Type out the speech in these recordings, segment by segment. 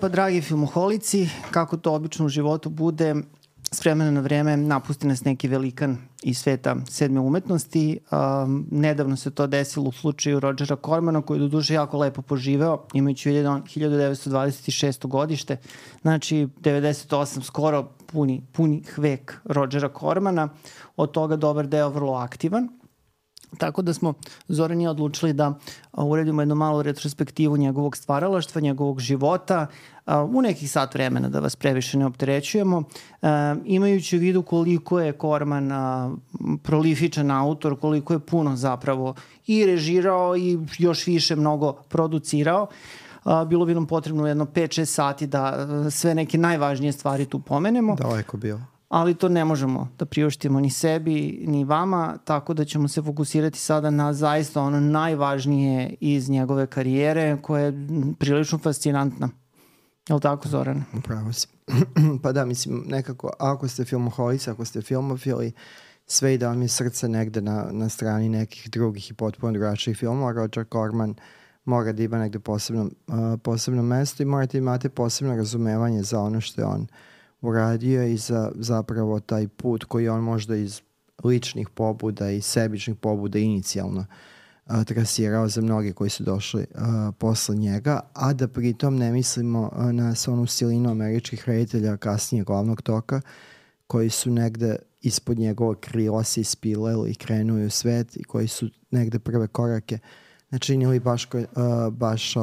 pa dragi filmoholici, kako to obično u životu bude, s vremena na vreme napusti nas neki velikan iz sveta sedme umetnosti. Nedavno se to desilo u slučaju Rodgera Cormana, koji je do duše jako lepo poživeo, imajući 1926. godište, znači 98, skoro punih vek Rodgera Cormana, od toga dobar deo vrlo aktivan. Tako da smo Zoran i ja odlučili da uredimo jednu malu retrospektivu njegovog stvaralaštva, njegovog života, u nekih sat vremena, da vas previše ne opterećujemo, imajući u vidu koliko je Corman prolifičan autor, koliko je puno zapravo i režirao i još više mnogo producirao. Bilo bi nam potrebno jedno 5-6 sati da sve neke najvažnije stvari tu pomenemo. Daleko bilo. Ali to ne možemo da priuštimo ni sebi, ni vama, tako da ćemo se fokusirati sada na zaista ono najvažnije iz njegove karijere, koja je prilično fascinantna. Je li tako, Zoran? Upravo si. Pa da, mislim, nekako, ako ste filmoholici, ako ste filmofili, sve i da vam je srce negde na strani nekih drugih i potpuno drugačijih filmova, Rodger Corman mora da ima negde posebno mesto i morate imate posebno razumevanje za ono što je on uradio i za zapravo taj put koji on možda iz ličnih pobuda i sebičnih pobuda inicijalno trasirao za mnoge koji su došli posle njega, a da pritom ne mislimo na onu silinu američkih reditelja kasnije glavnog toka koji su negde ispod njegovog krila se ispileli i krenuli u svet i koji su negde prve korake načinili baš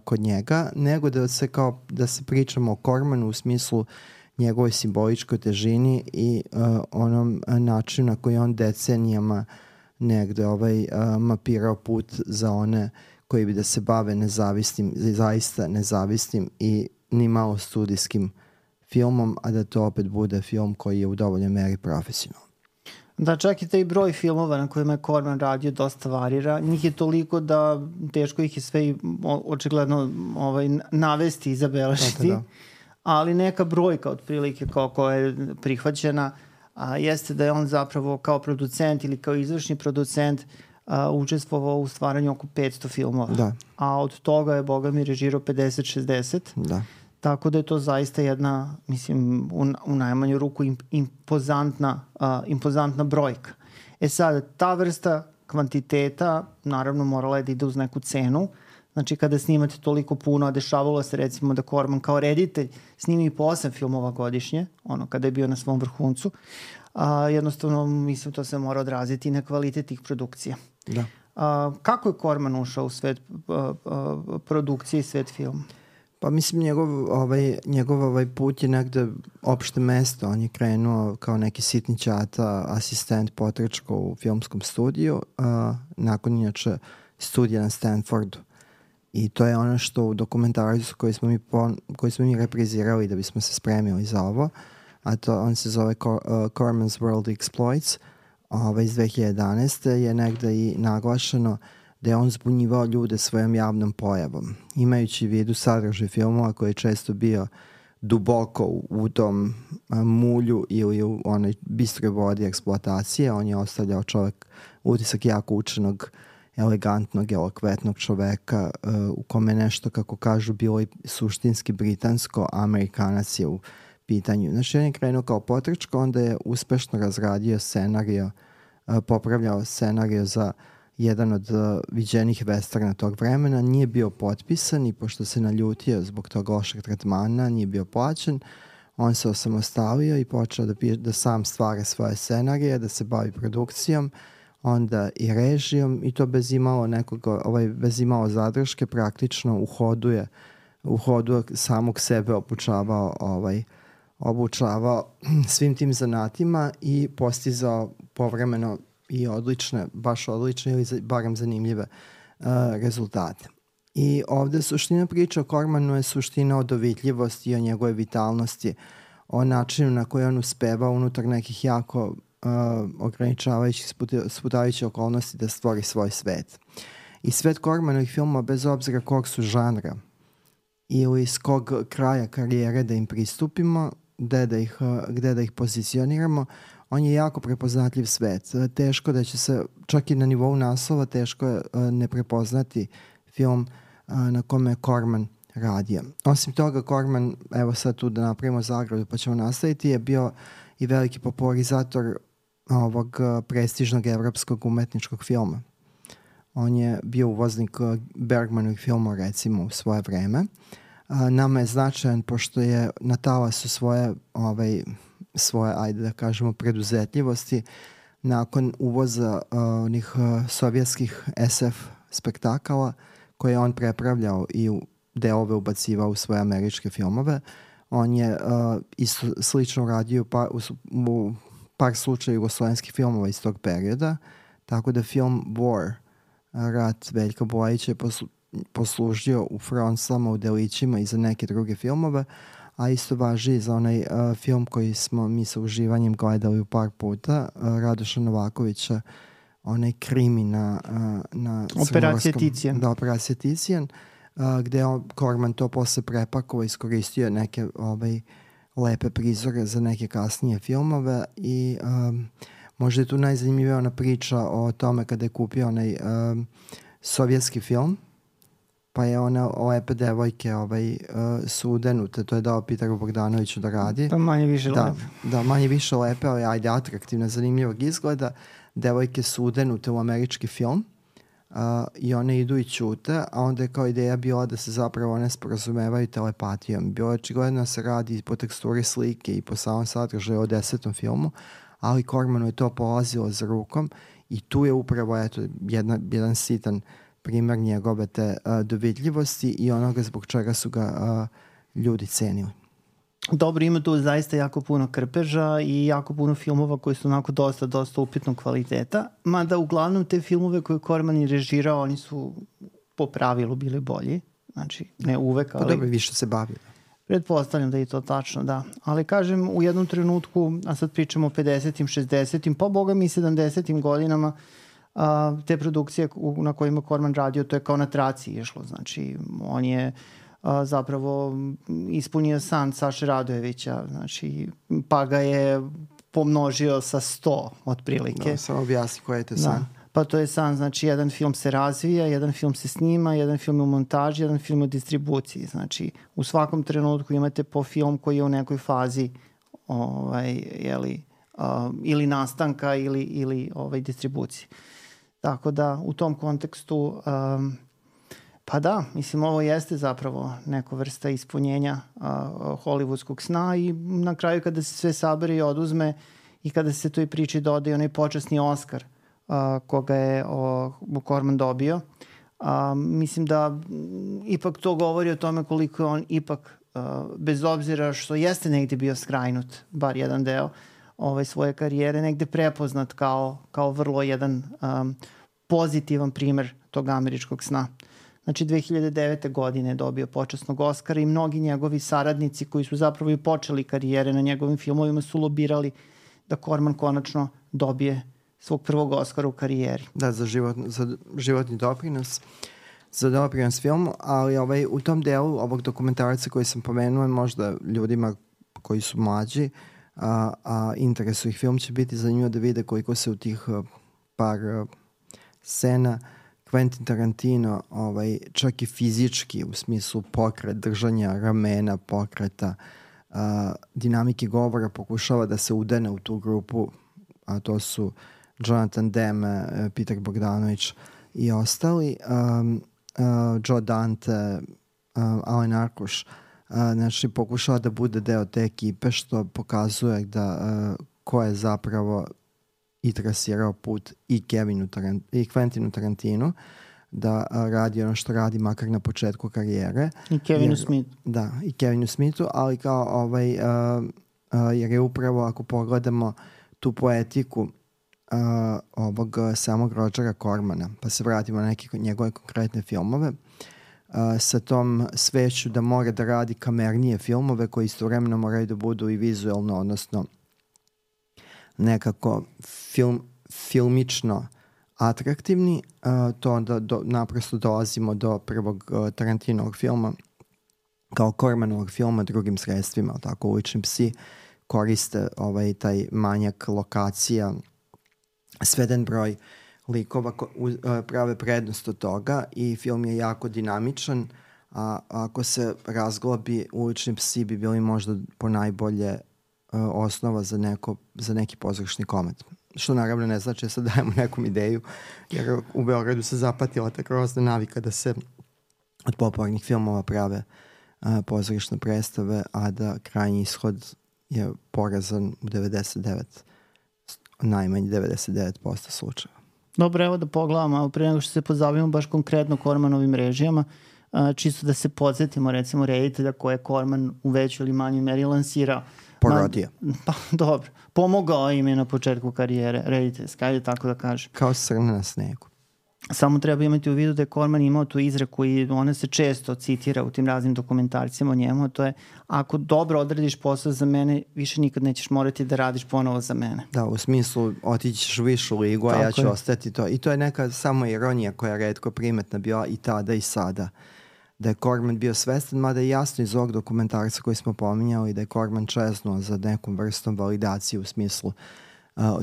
kod njega, nego da se pričamo o Cormanu u smislu njegovoj simboličkoj težini i onom načinu na koji on decenijama negde mapirao put za one koji bi da se bave zaista nezavisnim i ni malo studijskim filmom, a da to opet bude film koji je u dovoljnoj meri profesionalan. Da, čak i taj broj filmova na kojima je Corman radio dosta varira. Njih je toliko da teško ih je sve očigledno navesti i zabeležiti. Da. Ali neka brojka otprilike koja je prihvaćena jeste da je on zapravo kao producent ili kao izvršni producent učestvovao u stvaranju oko 500 filmova. Da. A od toga je, boga mi, režirao 50-60. Da. Tako da je to zaista jedna, mislim, u najmanju ruku impozantna brojka. Sad, ta vrsta kvantiteta naravno morala je da ide uz neku cenu. Znači, kada snimate toliko puno, a dešavalo se recimo da Corman kao reditelj snimi po 8 filmova godišnje, kada je bio na svom vrhuncu, jednostavno, mislim, to se mora odraziti na kvalitet tih produkcija. Da. Kako je Corman ušao u svet produkcije i svet filma? Pa mislim, njegov put je negde opšte mesto. On je krenuo kao neki sitni ćata, asistent potrčko u filmskom studiju, nakon inače studija na Stanfordu. I to je ono što u dokumentaricu koji smo mi reprizirali da bismo se spremili za ovo, a to on se zove Corman's World Exploits, iz 2011. je negde i naglašeno da je on zbunjivao ljude svojom javnom pojavom. Imajući u vidu sadržaj filmova koji je često bio duboko u tom mulju ili u onoj bistroj vodi eksploatacije, on je ostavljao utisak jako učenog, elegantnog, elokvetnog čoveka u kome nešto, kako kažu, bilo i suštinski britansko, Amerikanac je u pitanju. Znači, on je krenuo kao potrčko, onda je uspešno razradio scenario, popravljao scenario za jedan od viđenih westerna tog vremena, nije bio potpisan i pošto se naljutio zbog tog lošeg tretmana, nije bio plaćen, on se osamostalio i počeo da sam stvara svoje scenarije, da se bavi produkcijom, onda i režijom i to bez imalo zadrške, praktično u hodu samog sebe obučavao svim tim zanatima i postizao povremeno i baš odlične ili barem zanimljive rezultate. I ovde suština priča o Cormanu je suština o dovitljivosti i o njegove vitalnosti, o načinu na koji on uspeva unutar nekih jako ograničavajućih, sputavajućih okolnosti da stvori svoj svet. I svet Cormanovih filmova, bez obzira kog su žanra ili iz kog kraja karijere da im pristupimo, gde da ih pozicioniramo, on je jako prepoznatljiv svet. Teško da će se, čak i na nivou naslova, teško je ne prepoznati film na kome je Corman radio. Osim toga, Corman, evo sad tu da napravimo zagradu pa ćemo nastaviti, je bio i veliki popularizator ovog prestižnog evropskog umetničkog filma. On je bio uvoznik Bergmanovih filmova, recimo, u svoje vreme. Nama je značajan pošto je na talasu svoje, ajde da kažemo, preduzetljivosti nakon uvoza onih sovjetskih SF spektakala koje je on prepravljao i u delove ubacivao u svoje američke filmove. On je isto slično radio u par slučaja jugoslovenskih filmova iz tog perioda, tako da film War, Rat Veljka Bojića, je poslužio u Fronslama, u Delićima i za neke druge filmove, a isto važi i za onaj film koji smo mi sa uživanjem gledali u par puta, Radoša Novakovića, onaj krimi na Operacija Ticijan. Da, Operacija Ticijan, gde je Corman to posle prepakovao, iskoristio neke lepe prizore za neke kasnije filmove i možda je tu najzanimljivija ona priča o tome kada je kupio onaj sovjetski film, pa je ona lepe devojke su udenute, to je dao Peteru Bogdanoviću da radi. Pa manje više lepe. Da, manje više lepe, ali ajde atraktivne, zanimljivog izgleda. Devojke su udenute u američki film i one idu i ćute, a onda je kao ideja bila da se zapravo one sporazumevaju telepatijom. Bilo je očigledno da se radi po teksturi slike i po samom sadržaju o 10. filmu, ali Cormanu je to polazilo za rukom i tu je upravo jedan sitan primer njegove te dovidljivosti i onoga zbog čega su ga ljudi cenili. Dobro, ima tu zaista jako puno krpeža i jako puno filmova koji su onako dosta upitnog kvaliteta, mada uglavnom te filmove koje Corman je režirao, oni su po pravilu bili bolji, znači ne uvek, ali... Pa dobro, više se bavio. Pretpostavljam da je to tačno, da. Ali kažem, u jednom trenutku, a sad pričamo o 50-im, 60-im, pa boga mi 70-im godinama, te produkcije na kojima Corman radio, to je kao na traci išlo. Znači, on je zapravo ispunio san Saše Radojevića, znači, pa ga je pomnožio sa 100 otprilike. Da, samo objasni koji je te san. Pa to je san, znači jedan film se razvija, jedan film se snima, jedan film je u montaži, jedan film je u distribuciji. Znači, u svakom trenutku imate po film koji je u nekoj fazi ili nastanka ili distribucije. Tako da, u tom kontekstu, pa da, mislim, ovo jeste zapravo neka vrsta ispunjenja hollywoodskog sna i na kraju kada se sve sabere i oduzme i kada se toj priči dodaje onaj počasni Oscar koga je Corman dobio, mislim da ipak to govori o tome koliko je on ipak, bez obzira što jeste negde bio skrajnut, bar jedan deo svoje karijere, negde prepoznat kao vrlo jedan pozitivan primer tog američkog sna. Znači 2009. godine je dobio počasnog Oscara i mnogi njegovi saradnici koji su zapravo i počeli karijere na njegovim filmovima su lobirali da Corman konačno dobije svog prvog Oscara u karijeri. Da, za životni doprinos. Za doprinos filmu, ali u tom delu ovog dokumentarca koji sam pomenuo, možda ljudima koji su mlađi, a interesu ih film, će biti zanimljivo da vide koliko se u tih par scena Quentin Tarantino čak i fizički, u smislu pokret, držanja ramena, pokreta, dinamike govora pokušava da se udene u tu grupu, a to su Jonathan Demme, Peter Bogdanović i ostali, Joe Dante, Alen Arkuš, znači pokušava da bude deo te ekipe, što pokazuje da ko je zapravo i trasirao put i Quentinu Tarantinu da radi ono što radi makar na početku karijere. I Kevinu Smithu. Da, i Kevinu Smithu, ali kao jer je upravo, ako pogledamo tu poetiku ovog samog Rogera Cormana, pa se vratimo na neke njegove konkretne filmove, sa tom sveću da mora da radi kamernije filmove koji istovremeno moraju da budu i vizuelno, odnosno nekako filmično atraktivni, to onda naprosto dolazimo do prvog Tarantinovog filma kao Cormanovog filma drugim sredstvima, tako Ulični psi koriste taj manjak lokacija, sveden broj likova prave prednost od toga i film je jako dinamičan, A ako se razglobi, Ulični psi bi bili možda ponajbolje osnova za neki pozorišni komad. Što naravno ne znači da sad dajemo nekom ideju, jer u Beogradu se zapatila ta grozna navika da se od popularnih filmova prave pozorišne predstave, a da krajnji ishod je porazan u najmanje 99% slučajeva. Dobro, evo da pogledamo, pre nego što se pozabavimo baš konkretno Kormanovim režijama, čisto da se podsjetimo recimo reditelja koje je Korman u većoj ili manjoj meri lansirao. Porodio. Pa dobro, pomogao im je na početku karijere rediteljske, ajde tako da kažem. Kao srna na snegu. Samo treba imati u vidu da je Korman imao tu izreku i ona se često citira u tim raznim dokumentarcima o njemu, a to je ako dobro odradiš posao za mene, više nikad nećeš morati da radiš ponovo za mene. Da, u smislu otićeš u višu ligu, a ja ću ostati to. I to je neka samo ironija koja je retko primetna bila i tada i sada. Da je Korman bio svestan, mada je jasno iz ovog dokumentarca koji smo pominjali, da je Korman čeznuo za nekom vrstom validacije u smislu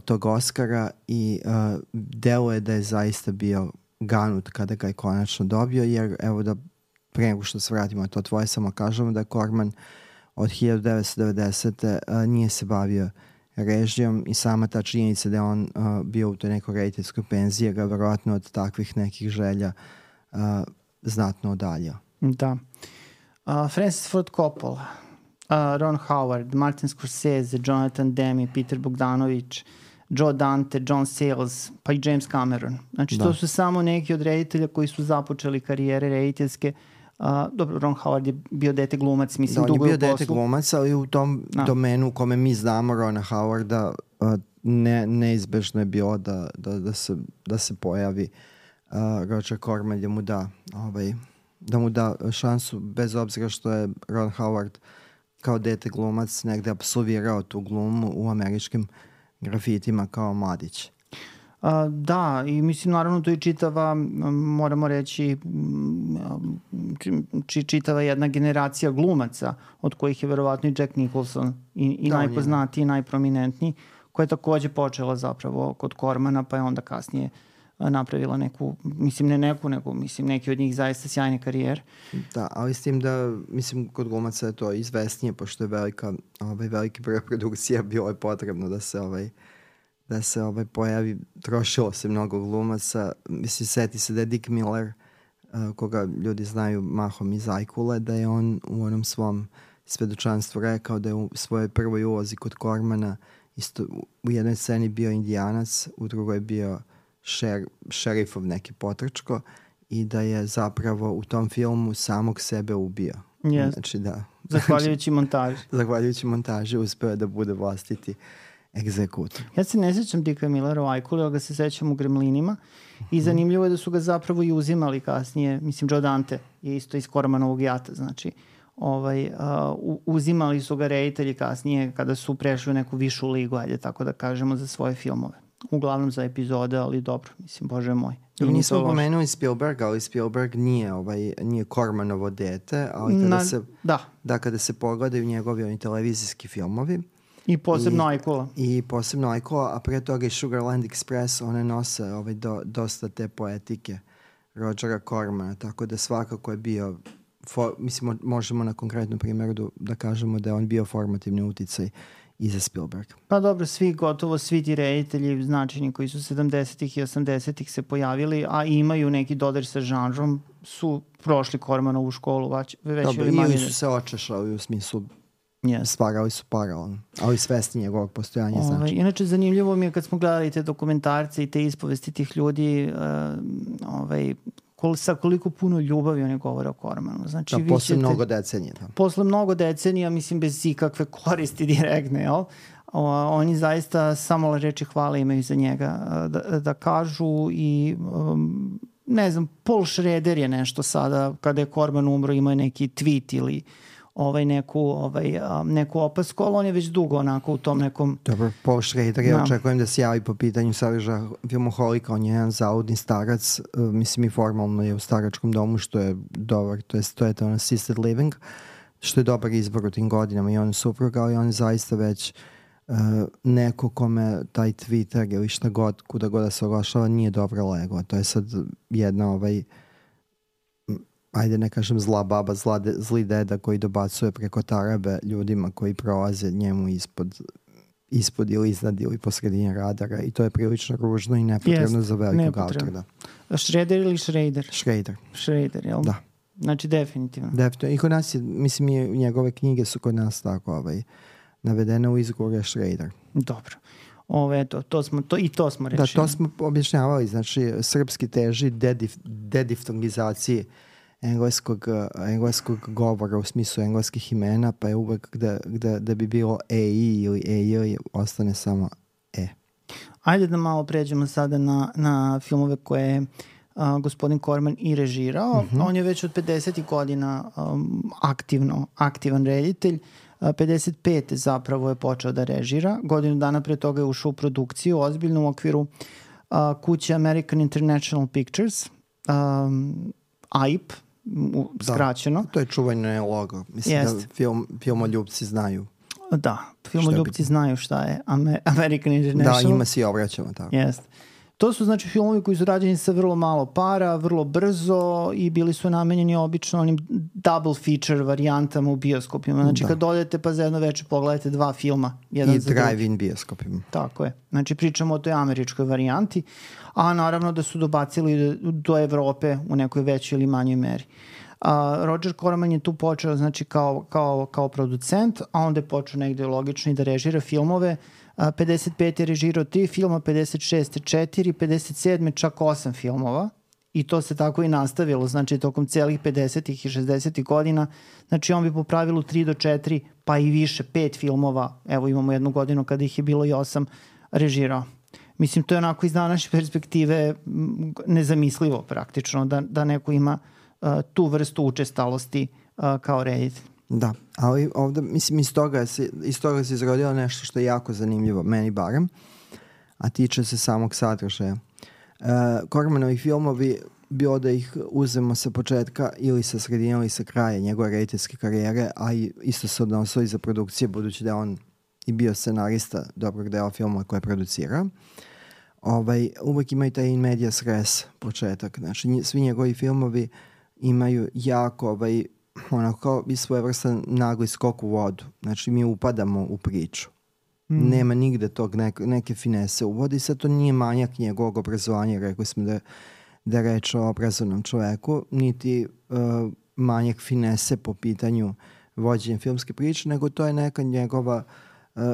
tog Oscara i deluje da je zaista bio ganut kada ga je konačno dobio, jer evo da pre nego što se vratimo na to tvoje, samo kažemo da je Korman od 1990. Nije se bavio režijom i sama ta činjenica da je on bio u toj nekoj rediteljskoj penziji ga verovatno od takvih nekih želja znatno odaljio. Da. Francis Ford Coppola, Ron Howard, Martin Scorsese, Jonathan Demme, Peter Bogdanovich, Joe Dante, John Sayles, pa i James Cameron. Znači, to su samo neki od reditelja koji su započeli karijere rediteljske. Dobro, Ron Howard je bio dete glumac, mislim, dugo je u poslu. On je bio dete glumac, ali u tom domenu u kome mi znamo Rona Howarda neizbežno je bilo da se pojavi Roger Corman da mu da šansu, bez obzira što je Ron Howard kao dete glumac negde apsolvirao tu glumu u američkim grafitima kao mladić. Da, i mislim naravno to je čitava, moramo reći, čitava jedna generacija glumaca, od kojih je verovatno i Jack Nicholson i najpoznatiji i najprominentniji, koja je takođe počela zapravo kod Cormana, pa je onda kasnije napravila neku, mislim ne neku, nego mislim neki od njih zaista sjajne karijere. Da, ali s tim da, mislim, kod glumaca je to izvesnije, pošto je veliki broj produkcija, bilo je potrebno da se pojavi, trošilo se mnogo glumaca. Mislim, seti se da je Dick Miller, koga ljudi znaju mahom iz Ajkule, da je on u onom svom svedočanstvu rekao da je u svojoj prvoj ulozi kod Cormana isto u jednoj sceni bio Indijanac, u drugoj bio šerifov neki potrčko i da je zapravo u tom filmu samog sebe ubio. Yes. Znači da. Zahvaljujući montaži. Zahvaljujući montaži uspeo da bude vlastiti egzekutor. Ja se ne sećam Dicka Millera u Ajkuli, ali ga se sećam u Gremlinima i zanimljivo je da su ga zapravo i uzimali kasnije. Mislim, Joe Dante je isto iz Cormanovog jata, znači uzimali su ga reditelji kasnije kada su prešli u neku višu ligu, ajde tako da kažemo, za svoje filmove. Uglavnom za epizode, ali dobro, mislim, bože moj. Nismo pomenuli Spielberga, ali Spielberg nije Cormanovo dete, ali kada se pogledaju njegovi televizijski filmovi, i posebno Ajkula. I posebno Ajkula, a pre toga i Sugarland Express, one nose dosta te poetike Rogera Cormana, tako da svakako je bio, mislim, možemo na konkretnom primjeru da kažemo da je on bio formativni uticaj i za Spielberg. Pa dobro, gotovo svi ti reditelji značajni koji su 70-ih i 80-ih se pojavili, a imaju neki dodir sa žanrom, su prošli Cormanovu školu već ili manje. Ili su se očešali u smislu stvarali su paralelno, ali svesni njegovog postojanja znači. Inače, zanimljivo mi je kad smo gledali te dokumentarce i te ispovesti tih ljudi, sa koliko puno ljubavi oni govore o Cormanu. Znači, posle mnogo decenija. Posle mnogo decenija, mislim, bez ikakve koristi direktne, jel? Oni zaista samo reči hvale imaju za njega da kažu i ne znam, Paul Schrader je nešto sada, kada je Corman umro, imao je neki tweet ili neku opasku, ali on je već dugo onako u tom nekom... Dobro, Paul Schrader, ja očekujem da se javi po pitanju sadržaja filmoholika, on je jedan zaudni starac, mislim i formalno je u staračkom domu, što je dobar, to je to assisted living, što je dobar izbor u tim godinama i on je supruga, ali on je zaista već neko kome taj Twitter ili šta god, kuda god da se oglašava, nije dobro lego. To je sad jedna ajde ne kažem zla baba, zli deda koji dobacuje preko tarabe ljudima koji prolaze njemu ispod ili iznad ili po sredini radara i to je prilično ružno i nepotrebno za velikog autora. Schrader ili Schrader? Schrader, jel? Da. Znači definitivno. I kod nas je, mislim, njegove knjige su kod nas tako navedene u izgovoru Schrader. Dobro. To smo rešili. Da, to smo objašnjavali. Znači, srpski teži dediftongizaciji engleskog govora u smislu engleskih imena, pa je uvek da bi bilo EI ili EJ ostane samo E. Ajde da malo pređemo sada na filmove koje je gospodin Corman i režirao. On je već od 50. godina aktivan reditelj. 55. zapravo je počeo da režira. Godinu dana pre toga je ušao u produkciju ozbiljno u okviru kuće American International Pictures, AIP, skraćeno. To je čuvanje logo. Mislim da filmoljubci znaju. Da, filmoljubci znaju šta je American International. Da, njima si obraćamo tako. Jeste. To su znači filmovi koji su rađeni sa vrlo malo para, vrlo brzo i bili su namenjeni obično onim double feature varijantama u bioskopima. Znači kad odete pa za jedno večer pogledate dva filma. I drive-in bioskopima. Tako je. Znači pričamo o toj američkoj varijanti, a naravno da su dobacili do Evrope u nekoj većoj ili manjoj meri. Roger Corman je tu počeo znači kao producent, a onda je počeo negde logično i da režira filmove. 55. je režirao 3 filma, 56. 4, 57. čak 8 filmova i to se tako i nastavilo, znači tokom celih 50. i 60. godina, znači on bi po pravilu 3 do 4 pa i više, 5 filmova, evo imamo jednu godinu kada ih je bilo i 8 režirao. Mislim, to je onako iz današnje perspektive nezamislivo praktično da neko ima tu vrstu učestalosti kao reditelj. Da, ali ovde, mislim, iz toga se izrodilo nešto što je jako zanimljivo, meni barem, a tiče se samog sadržaja. Cormanovi filmovi, bilo da ih uzemo sa početka ili sa sredine ili sa kraja njegove rediteljske karijere, a isto se odnosilo i za produkcije, budući da je on i bio scenarista dobrog dela filmova koje producira. Uvek imaju taj in medias res početak. Znači, svi njegovi filmovi imaju jako onako i svojevrstan nagli skok u vodu. Znači, mi upadamo u priču. Nema nigde tog neke finese uvodi. Sad to nije manjak njegovog obrazovanja, rekli smo da je reč o obrazovnom čoveku, niti manjak finese po pitanju vođenja filmske priče, nego to je neka njegova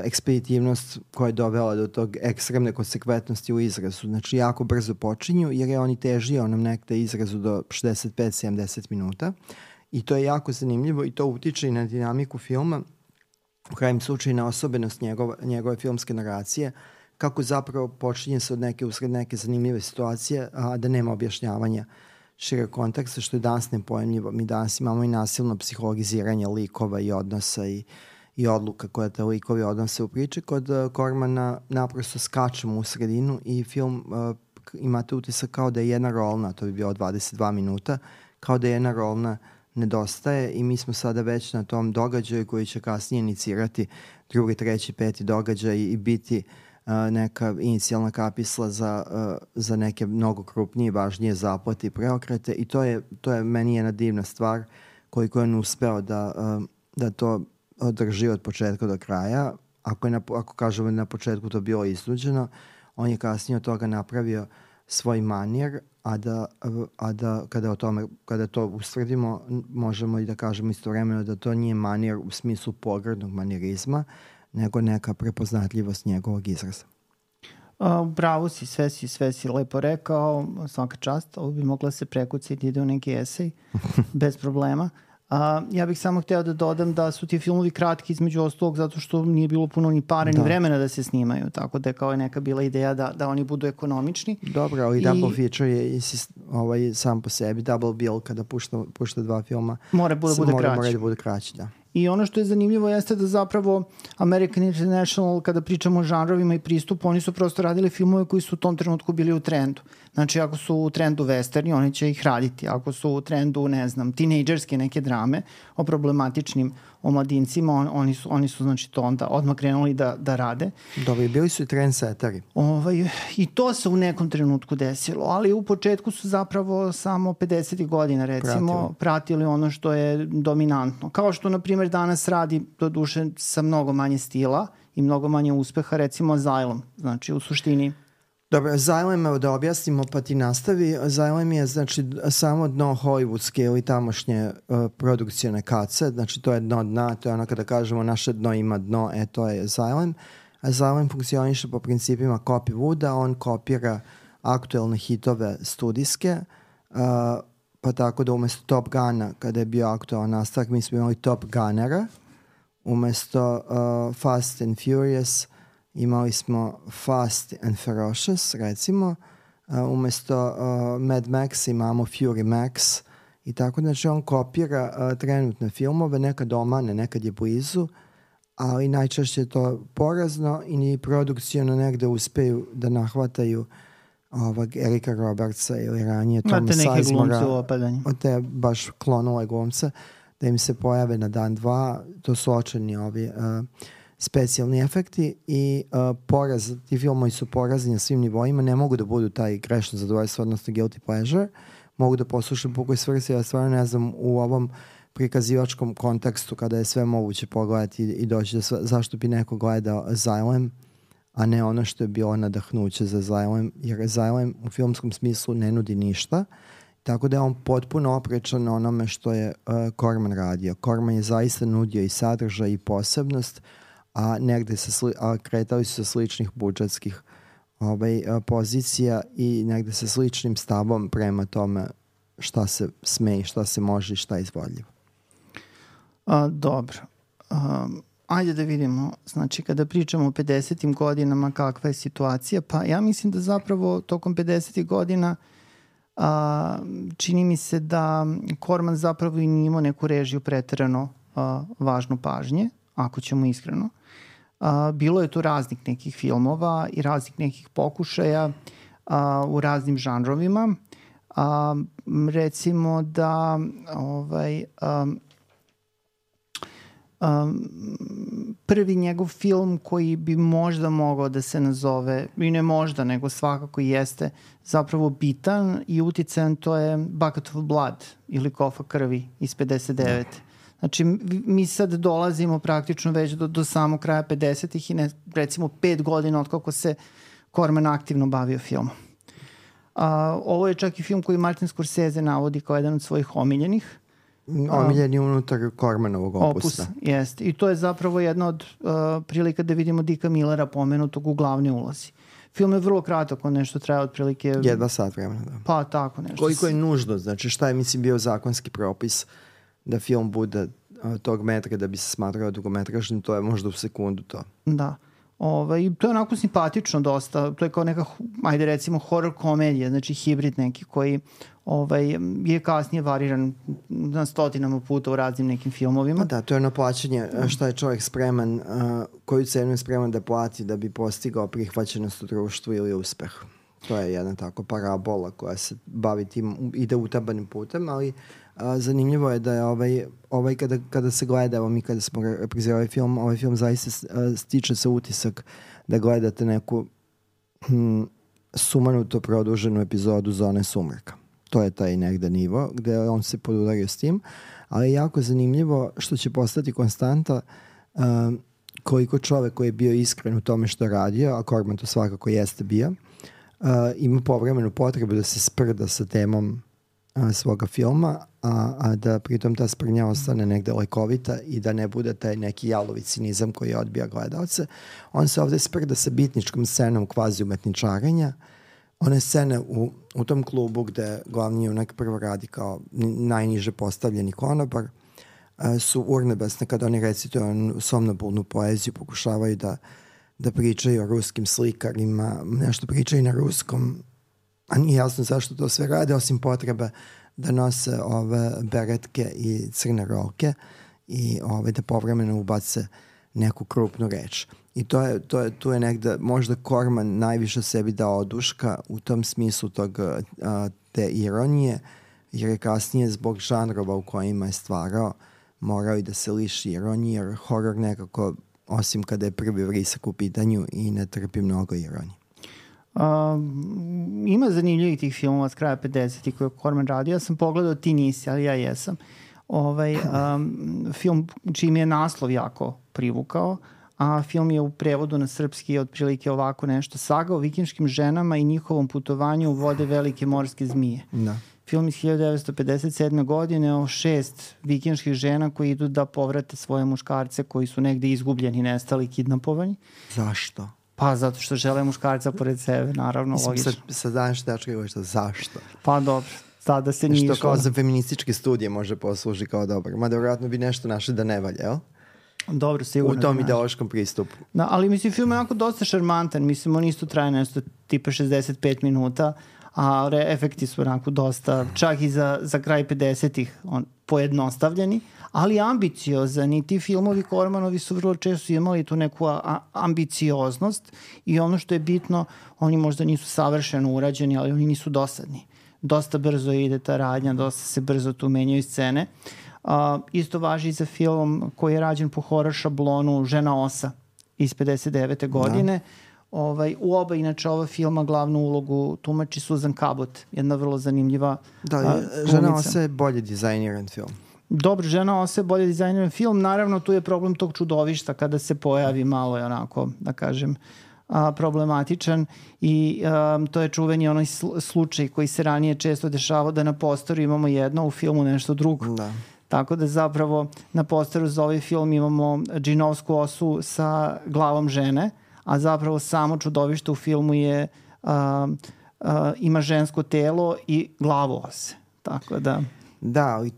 ekspeditivnost koja je dovela do tog ekstremne konsekventnosti u izrazu. Znači, jako brzo počinju, jer je on i težio onom nekde izrazu do 65-70 minuta. I to je jako zanimljivo i to utiče i na dinamiku filma, u krajnjem slučaju na osobenost njegove filmske naracije, kako zapravo počinje se usred neke zanimljive situacije, a da nema objašnjavanja šireg konteksta, što je danas nepojemljivo. Mi danas imamo i nasilno psihologiziranje likova i odnosa i odluka koje te likovi odnose u priči. Kod Cormana naprosto skačemo u sredinu i film imate utisak kao da je jedna rolna, to bi bilo 22 minuta, kao da je jedna rolna nedostaje i mi smo sada već na tom događaju koji će kasnije inicirati drugi, treći, peti događaj i biti neka inicijalna kapisla za neke mnogo krupnije, važnije zaplate i preokrete i to je meni jedna divna stvar koliko je on uspeo da to održi od početka do kraja. Ako kažemo na početku to bilo iznuđeno, on je kasnije od toga napravio svoj manir, a da kada to ustvrdimo, možemo i da kažemo istovremeno da to nije manir u smislu pogrdnog manirizma, nego neka prepoznatljivost njegovog izraza. Bravo si, sve si lepo rekao, svaka čast, ovo bi mogla se prekuciti, ide u neki esej, bez problema. Ja bih samo hteo da dodam da su ti filmovi kratki između ostalog zato što nije bilo puno ni pare ni vremena da se snimaju, tako da je kao neka bila ideja da oni budu ekonomični. Dobro, ali double feature je sam po sebi, double bill kada pušta dva filma mora da bude kraći, da. I ono što je zanimljivo jeste da zapravo American International, kada pričamo o žanrovima i pristupu, oni su prosto radili filmove koji su u tom trenutku bili u trendu. Znači, ako su u trendu westerni, oni će ih raditi. Ako su u trendu, ne znam, tinejdžerske neke drame o problematičnim omladincima, oni su znači to onda odmah krenuli da rade. Dobro, bili su i trendsetteri. I to se u nekom trenutku desilo, ali u početku su zapravo samo 50. godina recimo pratili ono što je dominantno. Kao što, na primjer, danas radi do duše sa mnogo manje stila i mnogo manje uspeha, recimo Asylum. Znači, u suštini... Dobro, Asylum, da objasnimo pa ti nastavi. Asylum je znači samo dno hollywoodske ili tamošnje produkcijone kace, znači to je dno dna, to je ono kada kažemo naše dno ima dno, to je Asylum. Asylum funkcioniše po principima copy wooda, on kopira aktuelne hitove studijske, pa tako da umesto Top Guna, kada je bio aktualan nastavak, mi smo imali Top Gunnera, umesto Fast and Furious imali smo Fast and Ferocious, recimo, umesto Mad Max imamo Fury Max i tako, znači on kopira trenutne filmove, nekad omane, nekad je blizu, ali najčešće je to porazno i ni produkcijno negde uspeju da nahvataju ovog Erika Robertsa ili ranije Toma Sizemora, te baš klonove glumce, da im se pojave na dan dva. To su očeni ovi specijalni efekti i ti filmovi su porazni na svim nivoima, ne mogu da budu taj grešno zadovoljstvo, odnosno guilty pleasure, mogu da poslušam pukoj svrsi, ja stvarno ne znam u ovom prikazivačkom kontekstu kada je sve moguće pogledati i doći da zašto bi neko gledao Asylum, a ne ono što je bilo nadahnuće za Asylum, jer Asylum u filmskom smislu ne nudi ništa, tako da je on potpuno oprečan onome što je Corman radio. Corman je zaista nudio i sadržaj i posebnost, a negde kretali su sa sličnih budžetskih pozicija i negde sa sličnim stavom prema tome šta se sme i šta se može i šta je izvodljivo. Dobro. Ajde da vidimo, znači kada pričamo o 50. godinama kakva je situacija, pa ja mislim da zapravo tokom 50. godina čini mi se da Corman zapravo i nije imao neku režiju preterano važnu pažnje, ako ćemo iskreno. Bilo je tu raznih nekih filmova i raznih nekih pokušaja u raznim žanrovima. Recimo da prvi njegov film koji bi možda mogao da se nazove, i ne možda, nego svakako jeste zapravo bitan i uticajan, to je Bucket of Blood ili Kofa krvi iz 59. Znači, mi sad dolazimo praktično već do samog kraja 50-ih i recimo 5 godina od kako se Corman aktivno bavio filmom. Ovo je čak i film koji Martin Scorsese navodi kao jedan od svojih omiljenih. Omiljeni unutar Cormanovog opusa. Jeste. I to je zapravo jedna od prilika da vidimo Dicka Millera pomenutog u glavnoj ulozi. Film je vrlo kratak, on nešto traje otprilike... Jedva sat vremena, da. Pa tako nešto. Koliko je nužno, znači šta je, mislim, bio zakonski propis da film bude tog metra da bi se smatrao dugometražnim, to je možda u sekundu to. Da. To je onako simpatično dosta, to je kao neka, ajde recimo, horror komedija, znači hibrid neki koji je kasnije variran na stotinama puta u raznim nekim filmovima. Da, to je ono plaćanje šta je čovjek spreman, koju cenu je spreman da plati da bi postigao prihvaćenost u društvu ili uspeh. To je jedna tako parabola koja se bavi tim, ide utabanim putem, ali zanimljivo je da je kada se gleda, evo mi kada smo reprizirali ovaj film zaista stiče se utisak da gledate neku sumanuto produženu epizodu Zone sumraka. To je taj negde nivo gde on se podudario s tim, ali je jako zanimljivo što će postati konstanta koliko čovek koji je bio iskren u tome što je radio, a Corman to svakako jeste bio, ima povremenu potrebu da se sprda sa temom svoga filma, a da pritom ta sprnja ostane negde lekovita i da ne bude taj neki jalovi cinizam koji odbija gledalce. On se ovde sprda sa bitničkom scenom kvazi umetničarenja. One scene u tom klubu gde glavni junak prvo radi kao najniže postavljeni konobar su urnebesne kada oni recituju somnobulnu poeziju, pokušavaju da pričaju o ruskim slikarima, nešto pričaju na ruskom, a nije jasno zašto to sve rade, osim potrebe da nose ove beretke i crne rolke i da povremeno ubace neku krupnu reč. I tu je negde možda Corman najviše sebi dao oduška u tom smislu te ironije, jer je kasnije zbog žanrova u kojima je stvarao morao i da se liši ironije, jer horor nekako, osim kada je prvi vrisak u pitanju, i ne trpi mnogo ironije. Ima zanimljivih tih filmova s kraja 50-ih koje je Corman radio. Ja sam pogledao Ti nisi, ali ja jesam. Film čiji mi je naslov jako privukao, a film je u prevodu na srpski otprilike ovako nešto: Saga o vikinškim ženama i njihovom putovanju u vode velike morske zmije. Da. Film iz 1957. godine o 6 vikinških žena koji idu da povrate svoje muškarce koji su negde izgubljeni, nestali, kidnapovani. Zašto? Pa zato što žele muškarca pored sebe, naravno, logično. Sad danas tačka je što zašto? Pa dobro, sada se nije što kao za feminističke studije može posluži kao dobro. Mada vjerojatno bi nešto našli da ne valja, jel? Dobro, sigurno. U tom ideološkom pristupu. Da, ali mislim, film je onako dosta šarmantan. Mislim, on isto traje nešto tipa 65 minuta, a efekti su onako dosta, čak i za kraj 50-ih pojednostavljeni, ali ambiciozani. Ti filmovi Cormanovi su vrlo često imali tu neku ambicioznost i ono što je bitno, oni možda nisu savršeno urađeni, ali oni nisu dosadni. Dosta brzo ide ta radnja, dosta se brzo tu menjaju scene. Isto važi i za film koji je rađen po horror šablonu Žena osa iz 59. godine. U oba, inače, ova filma glavnu ulogu tumači Susan Cabot, jedna vrlo zanimljiva Žena osa je bolje dizajniran film. Dobro, Žena osa je bolje dizajniran film. Naravno, tu je problem tog čudovišta kada se pojavi, malo je onako, da kažem, problematičan i to je čuveni onaj slučaj koji se ranije često dešavao da na posteru imamo jedno, u filmu nešto drugo. Da. Tako da zapravo na posteru za ovaj film imamo džinovsku osu sa glavom žene, a zapravo samo čudovište u filmu je ima žensko telo i glavu ose. Tako da... Da, i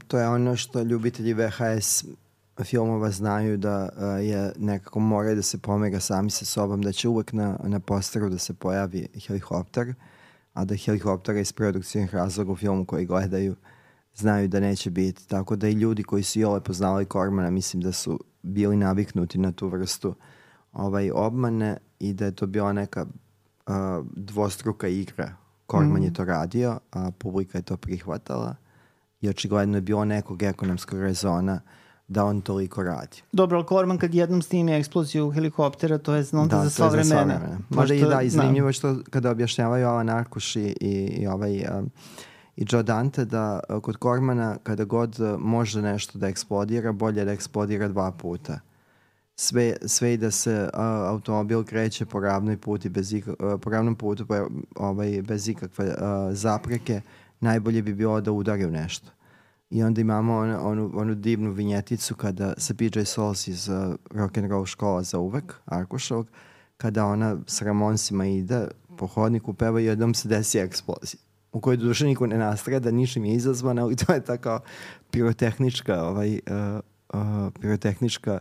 to je ono što ljubitelji VHS filmova znaju, da je nekako moraju da se pomera sami sa sobom, da će uvek na posteru da se pojavi helikopter, a da helikoptera iz produkcijnih razloga u filmu koji gledaju znaju da neće biti. Tako da i ljudi koji su iole poznali Cormana, mislim da su bili naviknuti na tu vrstu obmane i da je to bila neka dvostruka igra. Corman je to radio, a publika je to prihvatala i očigledno je bilo nekog ekonomskog rezona da on toliko radi. Dobro, ali Corman kad jednom snimi eksploziju helikoptera, to je onda za sva vremena. Možda i da, izanimljivo što kada objašnjavaju Alan Arkuš i Joe Dante, da kod Cormana kada god može nešto da eksplodira, bolje da eksplodira 2 puta. Sve i da se automobil kreće po ravnom putu bez ikakve zapreke, najbolje bi bilo da udari u nešto. I onda imamo onu divnu vinjeticu kada sa PJ Souls iz Rock'n'Roll škola za uvek, Arkušovog, kada ona s Ramonsima ide po hodniku, peva i jednom se desi eksplozija, u kojoj duše niko ne nastrada, ničim je izazvana, ali to je tako pirotehnička,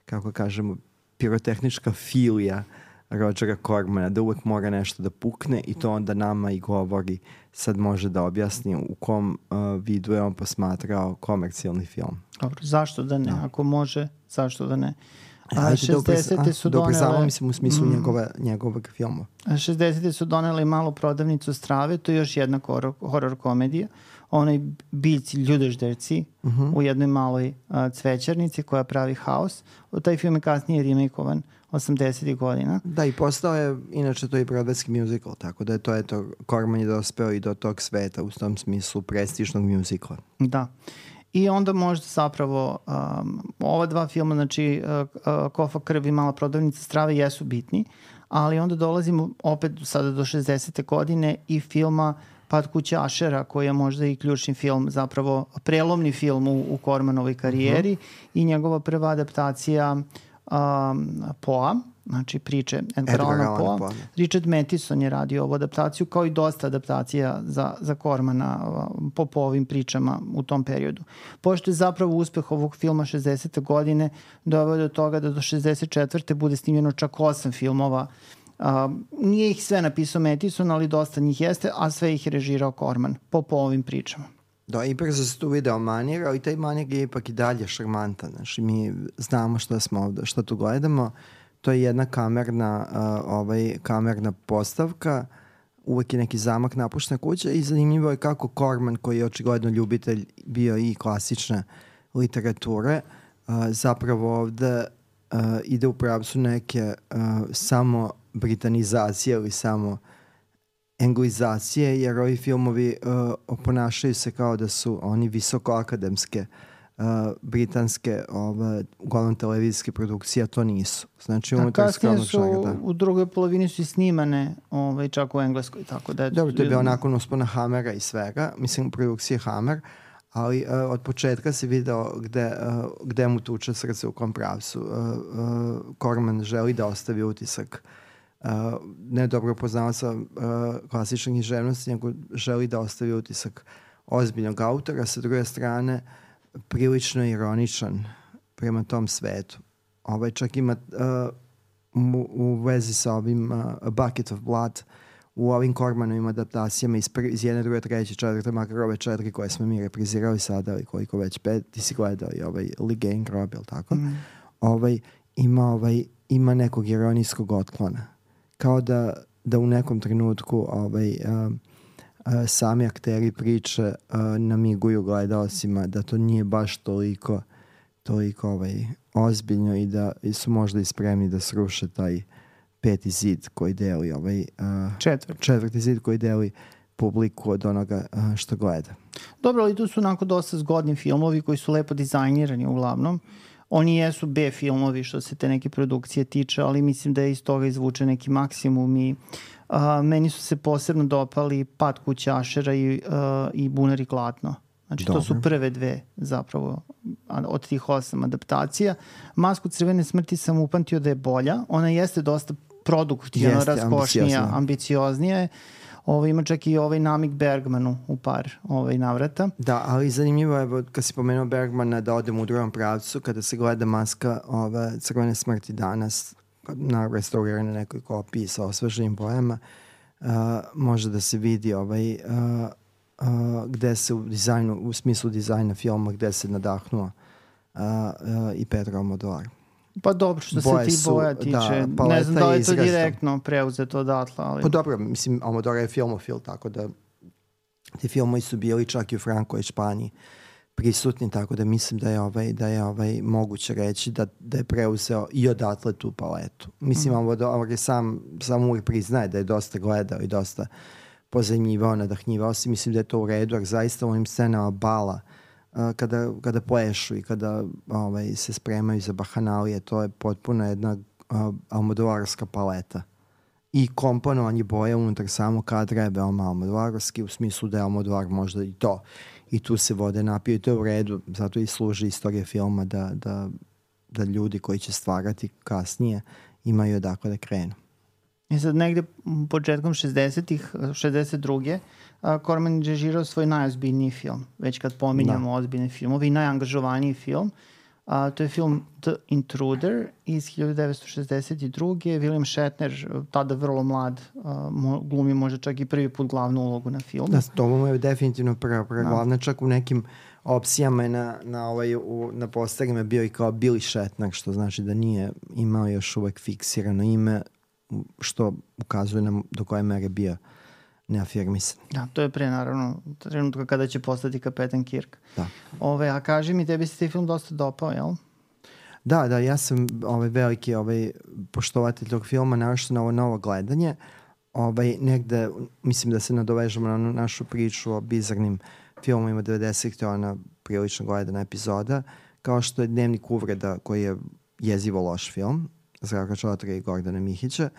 kako kažemo, pirotehnička filija Rogera Cormana, da uvek mora nešto da pukne i to onda nama i govori, sad može da objasni u kom vidu je on posmatrao komercijalni film. Dobro, zašto da ne? Ako može, zašto da ne? 60. su donele... mislim u smislu njegovog filma. 60. su donele Malu prodavnicu strave, to je još jedna horor komedija. Onaj biljci ljudežderci u jednoj maloj cvećarnici koja pravi haos. Taj film je kasnije remakeovan 80. godina. Da, i postao je, inače to je broadwayski musical, tako da je to Corman je dospeo i do tog sveta, u tom smislu prestižnog musicala. Da. I onda možda zapravo ova 2 filma, znači Kofa krvi i Mala prodavnica strave jesu bitni, ali onda dolazimo opet sada do 60. godine i filma Pad kuće Ašera, koji je možda i ključni film, zapravo prelomni film u Cormanovoj karijeri i njegova prva adaptacija Poa, znači priče Edgar Allana Poa. Richard Matheson je radio ovu adaptaciju, kao i dosta adaptacija za Cormana po ovim pričama u tom periodu. Pošto je zapravo uspeh ovog filma 60. godine doveo do toga da do 64. bude snimljeno čak 8 filmova. Nije ih sve napisao Matheson, ali dosta njih jeste, a sve ih je režirao Corman po ovim pričama. Da, i brzo se tu video manir, ali taj manir je ipak i dalje šarmantan. Znači, mi znamo što tu gledamo. To je jedna kamerna postavka, uvek je neki zamak napuštena kuća i zanimljivo je kako Corman, koji je očigledno ljubitelj bio i klasične literature, zapravo ovde ide u pravcu neke samo britanizacije ili samo anglizacije, jer ovi filmovi ponašaju se kao da su oni visokoakademske britanske uglavnom televizijske produkcije, a to nisu. Znači, kasnije su u drugoj polovini su i snimane čak u Engleskoj. Tako da dobro, to je bio nakon uspona Hammera i svega, mislim produkcije Hammer, ali od početka se video gde mu tuče srce u kom pravcu. Corman želi da ostavi utisak ne dobro poznavaca klasične književnosti, nego želi da ostavi utisak ozbiljnog autora, sa druge strane prilično ironičan prema tom svetu. Čak ima u vezi sa ovim A Bucket of Blood u ovim Cormanovim adaptacijama iz jedne, druge, treće, četvrte, makar ove 4 koje smo mi reprizirali sada, ali koliko već 5, ti si gledao i Ligein Grob, ili tako? Ima nekog ironijskog otklona. Kao da u nekom trenutku sami akteri priče namiguju gledalcima da to nije baš toliko ozbiljno i da su možda i spremni da sruše taj peti zid koji deli četvrti zid koji deli publiku od onoga što gleda. Dobro, ali tu su onako dosta zgodni filmovi koji su lepo dizajnirani uglavnom. Oni jesu B filmovi što se te neke produkcije tiče, ali mislim da je iz toga izvuče neki maksimum i meni su se posebno dopali Pad kućašera i Bunar i klatno. Znači, to su prve dve zapravo od tih 8 adaptacija. Masku crvene smrti sam upamtio da je bolja. Ona jeste dosta produktivno, raskošnija, ambicioznija je. Ima čak i namik Bergmanu u par navrata. Da, ali zanimljivo je, kad si pomenuo Bergmana, da odem u drugom pravcu, kada se gleda Maska crvene smrti danas, na restauriranoj nekoj kopiji sa osveženim bojama, može da se vidi gde se u smislu dizajna filma, gde se nadahnuo i Pedro Almodovar. Pa dobro, što se ti boja tiče, ne znam da li je to direktno preuzeto odatle, ali... Pa dobro, mislim, Almodovar je filmofil, tako da ti filmovi su bili čak i u Frankoj Španiji prisutni, tako da mislim da je moguće reći da je preuzeo i odatle tu paletu. Mislim, Almodovar je sam uvijek priznaje da je dosta gledao i dosta pozajmljivao, nadahnjivao se. Mislim da je to u redu, jer zaista u ovim scenama bala kada plešu i kada se spremaju za bahanalije, to je potpuno jedna almodovarska paleta. I komponovanje boja unutar samog kadra je veoma almodovarski, u smislu da je Almodovar možda i to. I tu se vode napiju i to je u redu, zato i služi istorija filma da ljudi koji će stvarati kasnije imaju odakle da krenu. I sad negde početkom 60-ih, 62. Corman je režirao svoj najozbiljniji film, već kad pominjamo ozbiljne filmove, i najangažovaniji film. To je film The Intruder iz 1962. William Shatner, tada vrlo mlad, glumi možda čak i prvi put glavnu ulogu na filmu. Da, to mu je definitivno prva glavna, čak u nekim opcijama na posterima bio i kao Billy Shatner, što znači da nije imao još uvek fiksirano ime, što ukazuje nam do koje mere bio neafirmisan. Da, to je pre naravno trenutka kada će postati kapetan Kirk. Da. A kaži mi, tebi se taj film dosta dopao, jel? Da, ja sam veliki poštovatelj tog filma, naravno na ovo novo gledanje. Negde, mislim da se nadovežemo na našu priču o bizarnim filmovima 90-ih, to je ona prilično gledana epizoda, kao što je Dnevnik uvreda, koji je jezivo loš film, Zdravka Čotra i Gordana Mihića,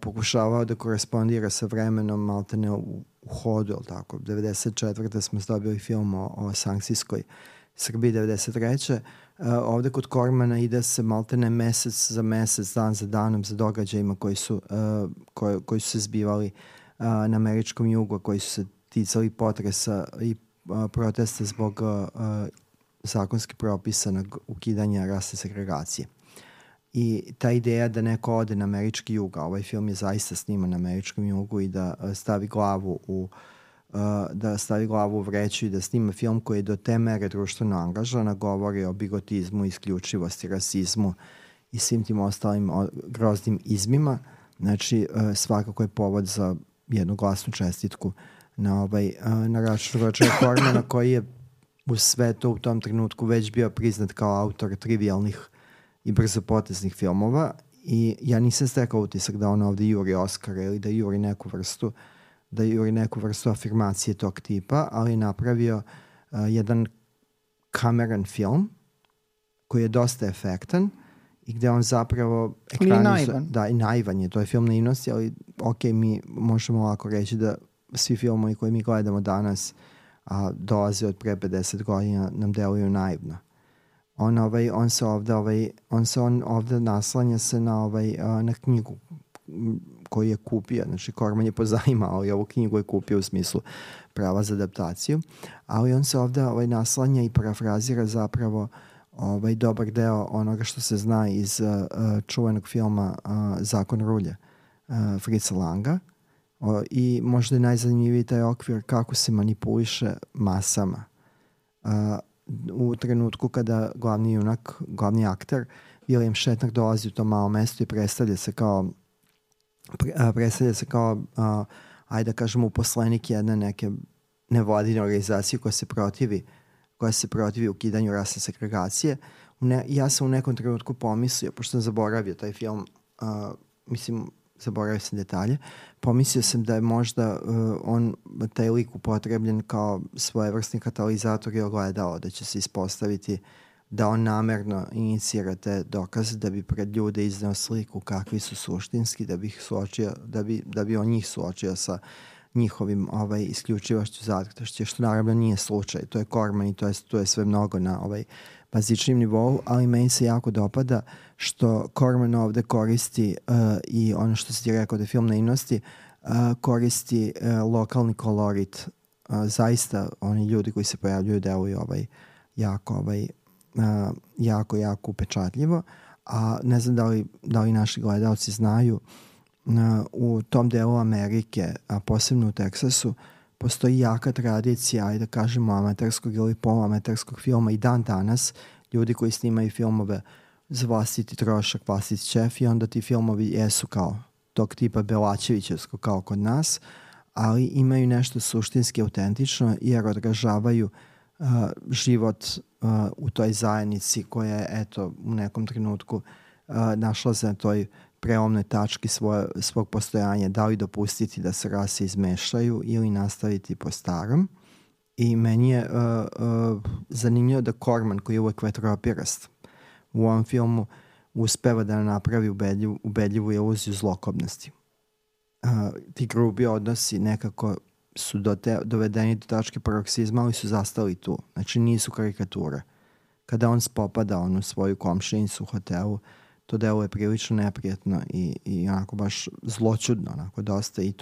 pokušavao da korespondira sa vremenom maltene u hodu, ili tako. 94. smo dobili film o sankcijskoj Srbiji, 93. Ovde kod Cormana ide se maltene mesec za mesec, dan za danom, za događajima koji su se zbivali na američkom jugu, koji su se ticali potresa i protesta zbog zakonski propisanog ukidanja rasne segregacije. I ta ideja da neko ode na američki jug, a ovaj film je zaista sniman na američkom jugu, i da stavi glavu u vreću i da snima film koji je do te mere društveno angažovan, govori o bigotizmu, isključivosti, rasizmu i svim tim ostalim groznim izmima. Znači, svakako je povod za jednu glasnu čestitku na račun Rođera Cormana, koji je u svetu u tom trenutku već bio priznat kao autor trivialnih i brzopoteznih filmova i ja nisam stekao utisak da on ovde juri Oscara ili da juri neku vrstu afirmacije tog tipa, ali je napravio jedan kameran film koji je dosta efektan i gde on zapravo naivan. Da, i naivan je, to je film naivnosti, ali ok, mi možemo ovako reći da svi filmovi koje mi gledamo danas dolaze od pre 50 godina nam deluju naivno. On se ovde naslanja se na knjigu koju je kupio, znači Corman je pozajmao, ali ovu knjigu je kupio u smislu prava za adaptaciju, ali on se ovde naslanja i parafrazira zapravo dobar deo onoga što se zna iz čuvenog filma Zakon rulje Fritza Langa i možda je najzanimljiviji taj okvir kako se manipuliše masama. U trenutku kada glavni junak, glavni akter William Shatner dolazi u to malo mesto i predstavlja se kao ajde da kažemo uposlenik jedne neke nevladine organizacije koja se protivi ukidanju rasne segregacije. Ja sam u nekom trenutku pomislio, pošto sam zaboravio taj film, zaboravio sam detalje, pomislio sam da je možda taj lik upotrebljen kao svojevrsni katalizator i ogledalo, da će se ispostaviti da on namerno inicira te dokaze da bi pred ljude izneo sliku kakvi su suštinski, da bi on njih suočio sa njihovim isključivošću, zatktošću, što naravno nije slučaj. To je Corman i to je sve mnogo na bazičnim nivou, ali meni se jako dopada što Corman ovde koristi i ono što si ti rekao da je film naivnosti, koristi lokalni kolorit. Zaista oni ljudi koji se pojavljuju deluju jako upečatljivo, a ne znam da li naši gledalci znaju, u tom delu Amerike, a posebno u Teksasu, postoji jaka tradicija, ajde da kažemo, amaterskog ili poluamaterskog filma i dan danas, ljudi koji snimaju filmove za vlastiti trošak, vlastiti šef i onda ti filmovi jesu kao tog tipa Belačevićevsko kao kod nas, ali imaju nešto suštinski autentično jer odražavaju život u toj zajednici koja je eto u nekom trenutku našla se na toj prelomnoj tački svog postojanja, da li dopustiti da se rase izmešaju ili nastaviti po starom. I meni je zanimljivo da Corman, koji je uvek vetropirast, u ovom filmu uspeva da napravi ubedljivu iluziju zlokobnosti. Ti grubi odnosi nekako su dovedeni do tačke paroksizma, ali su zastali tu. Znači nisu karikature. Kada on spopada u svoju komšinicu u hotelu, to deluje prilično neprijatno i onako baš zločudno, onako dosta i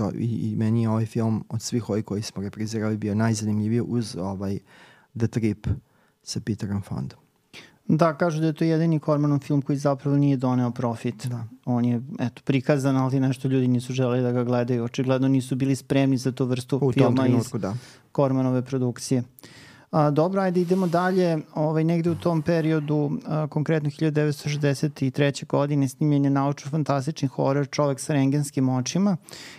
meni je ovaj film od svih ovih koji smo reprizirali bio najzanimljiviji uz The Trip sa Peterom Fondom. Da, kažu da je to jedini Cormanov film koji zapravo nije doneo profit. Da. On je prikazan, ali nešto ljudi nisu želeli da ga gledaju. Očigledno nisu bili spremni za tu vrstu filma iz Cormanove produkcije. Dobro, ajde idemo dalje. Negde u tom periodu, konkretno 1963. godine, snimljen je naučno-fantastični horor Čovek sa rengenskim očima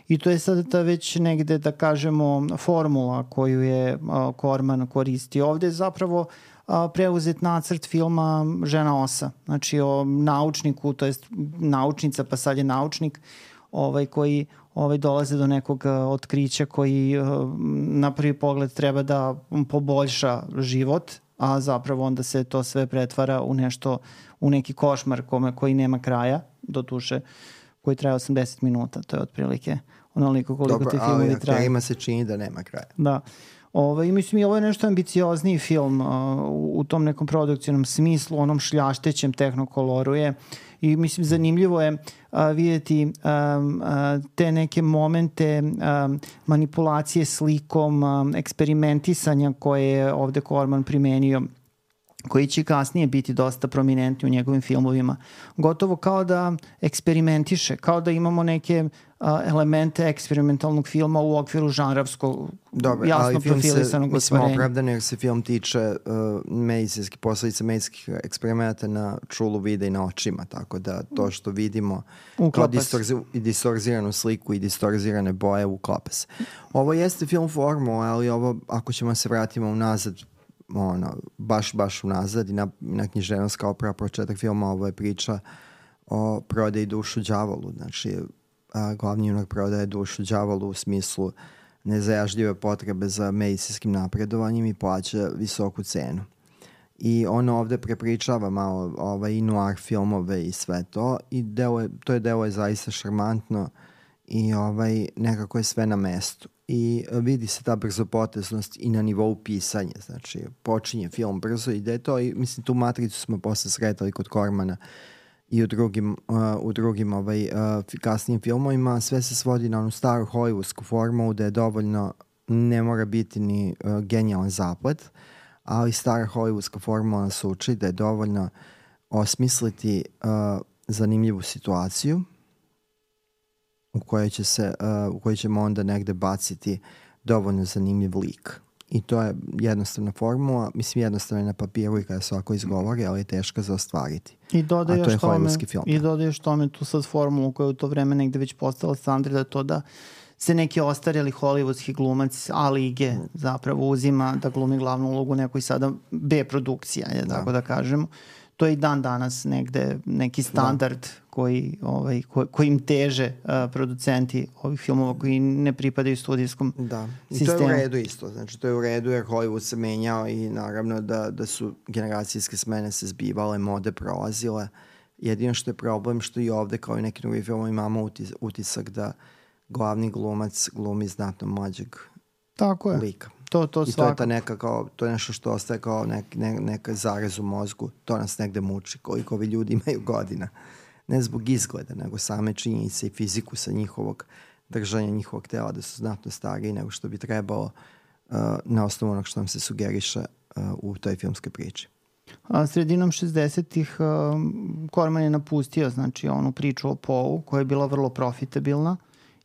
i to je sada ta već negde, da kažemo, formula koju je Corman koristio. Ovde je zapravo preuzet nacrt filma Žena osa, znači o naučniku, to jest naučnica, pa sad je naučnik, koji dolaze do nekog otkrića koji na prvi pogled treba da poboljša život, a zapravo onda se to sve pretvara u nešto, u neki košmar koji nema kraja, doduše, koji traje 80 minuta, to je otprilike onoliko koliko ti filmovi traje. Dobro, ali ima se čini da nema kraja. Da. Mislim i ovo je nešto ambiciozniji film u tom nekom produkcijnom smislu, onom šljaštećem tehnokoloru je i mislim zanimljivo je vidjeti te neke momente manipulacije slikom, eksperimentisanja koje je ovde Corman primenio, koji će kasnije biti dosta prominentni u njegovim filmovima. Gotovo kao da eksperimentiše, kao da imamo neke elemente eksperimentalnog filma u okviru žanrovskog, jasno profilisanog ostvarenja. Mislim opravdano jer se film tiče posledica medicinskih eksperimenta na čulu vida i na očima, tako da to što vidimo kao distorziranu sliku i distorzirane boje uklapa se. Ovo jeste film formula, ali ovo, ako ćemo se vratimo unazad baš unazad i na književnost kao početak filma. Ovo je priča o prodaji dušu đavolu. Znači, glavni junak prodaje dušu đavolu u smislu nezajažljive potrebe za medicinskim napredovanjem i plaća visoku cenu. I ono ovde prepričava malo i noir filmove i sve to i delo je zaista šarmantno i nekako je sve na mestu. I vidi se ta brzopoteznost i na nivou pisanja. Znači, počinje film brzo, ide to i mislim tu matricu smo posle sretali kod Cormana i u drugim kasnijim filmovima. Sve se svodi na onu staru hollywoodsku formulu da je dovoljno, ne mora biti ni genijalan zaplet, ali stara hollywoodska formula nas uči da je dovoljno osmisliti zanimljivu situaciju u kojoj ćemo onda negde baciti dovoljno zanimljiv lik. I to je jednostavna formula, mislim jednostavna na papiru i kada svako izgovori, ali je teška za ostvariti. I dodaješ tome tu sad formulu koja je u to vreme negde već postala standard, to da se neki ostarjeli hollywoodski glumac A lige zapravo uzima da glumi glavnu ulogu nekoj sada B produkcija, tako da kažemo. To je i dan danas negde neki standard kojim teže producenti ovih filmova koji ne pripadaju studijskom sistemu. I to je u redu isto. Znači, to je u redu jer Hollywood se menjao i naravno da su generacijske smene se zbivale, mode prolazile. Jedino što je problem što i ovde kao i neki drugi filmovi imamo utisak da glavni glumac glumi znatno mlađeg lika. To I to je ta neka to je nešto što ostaje kao neka zarez u mozgu. To nas negde muči koliko ovi ljudi imaju godina. Ne zbog izgleda, nego same činjenice i fizikusa njihovog držanja njihovog tela da su znatno stariji nego što bi trebalo na osnovu onog što nam se sugeriše u toj filmskoj priči. Sredinom 60-ih Corman je napustio znači onu priču o Poe koja je bila vrlo profitabilna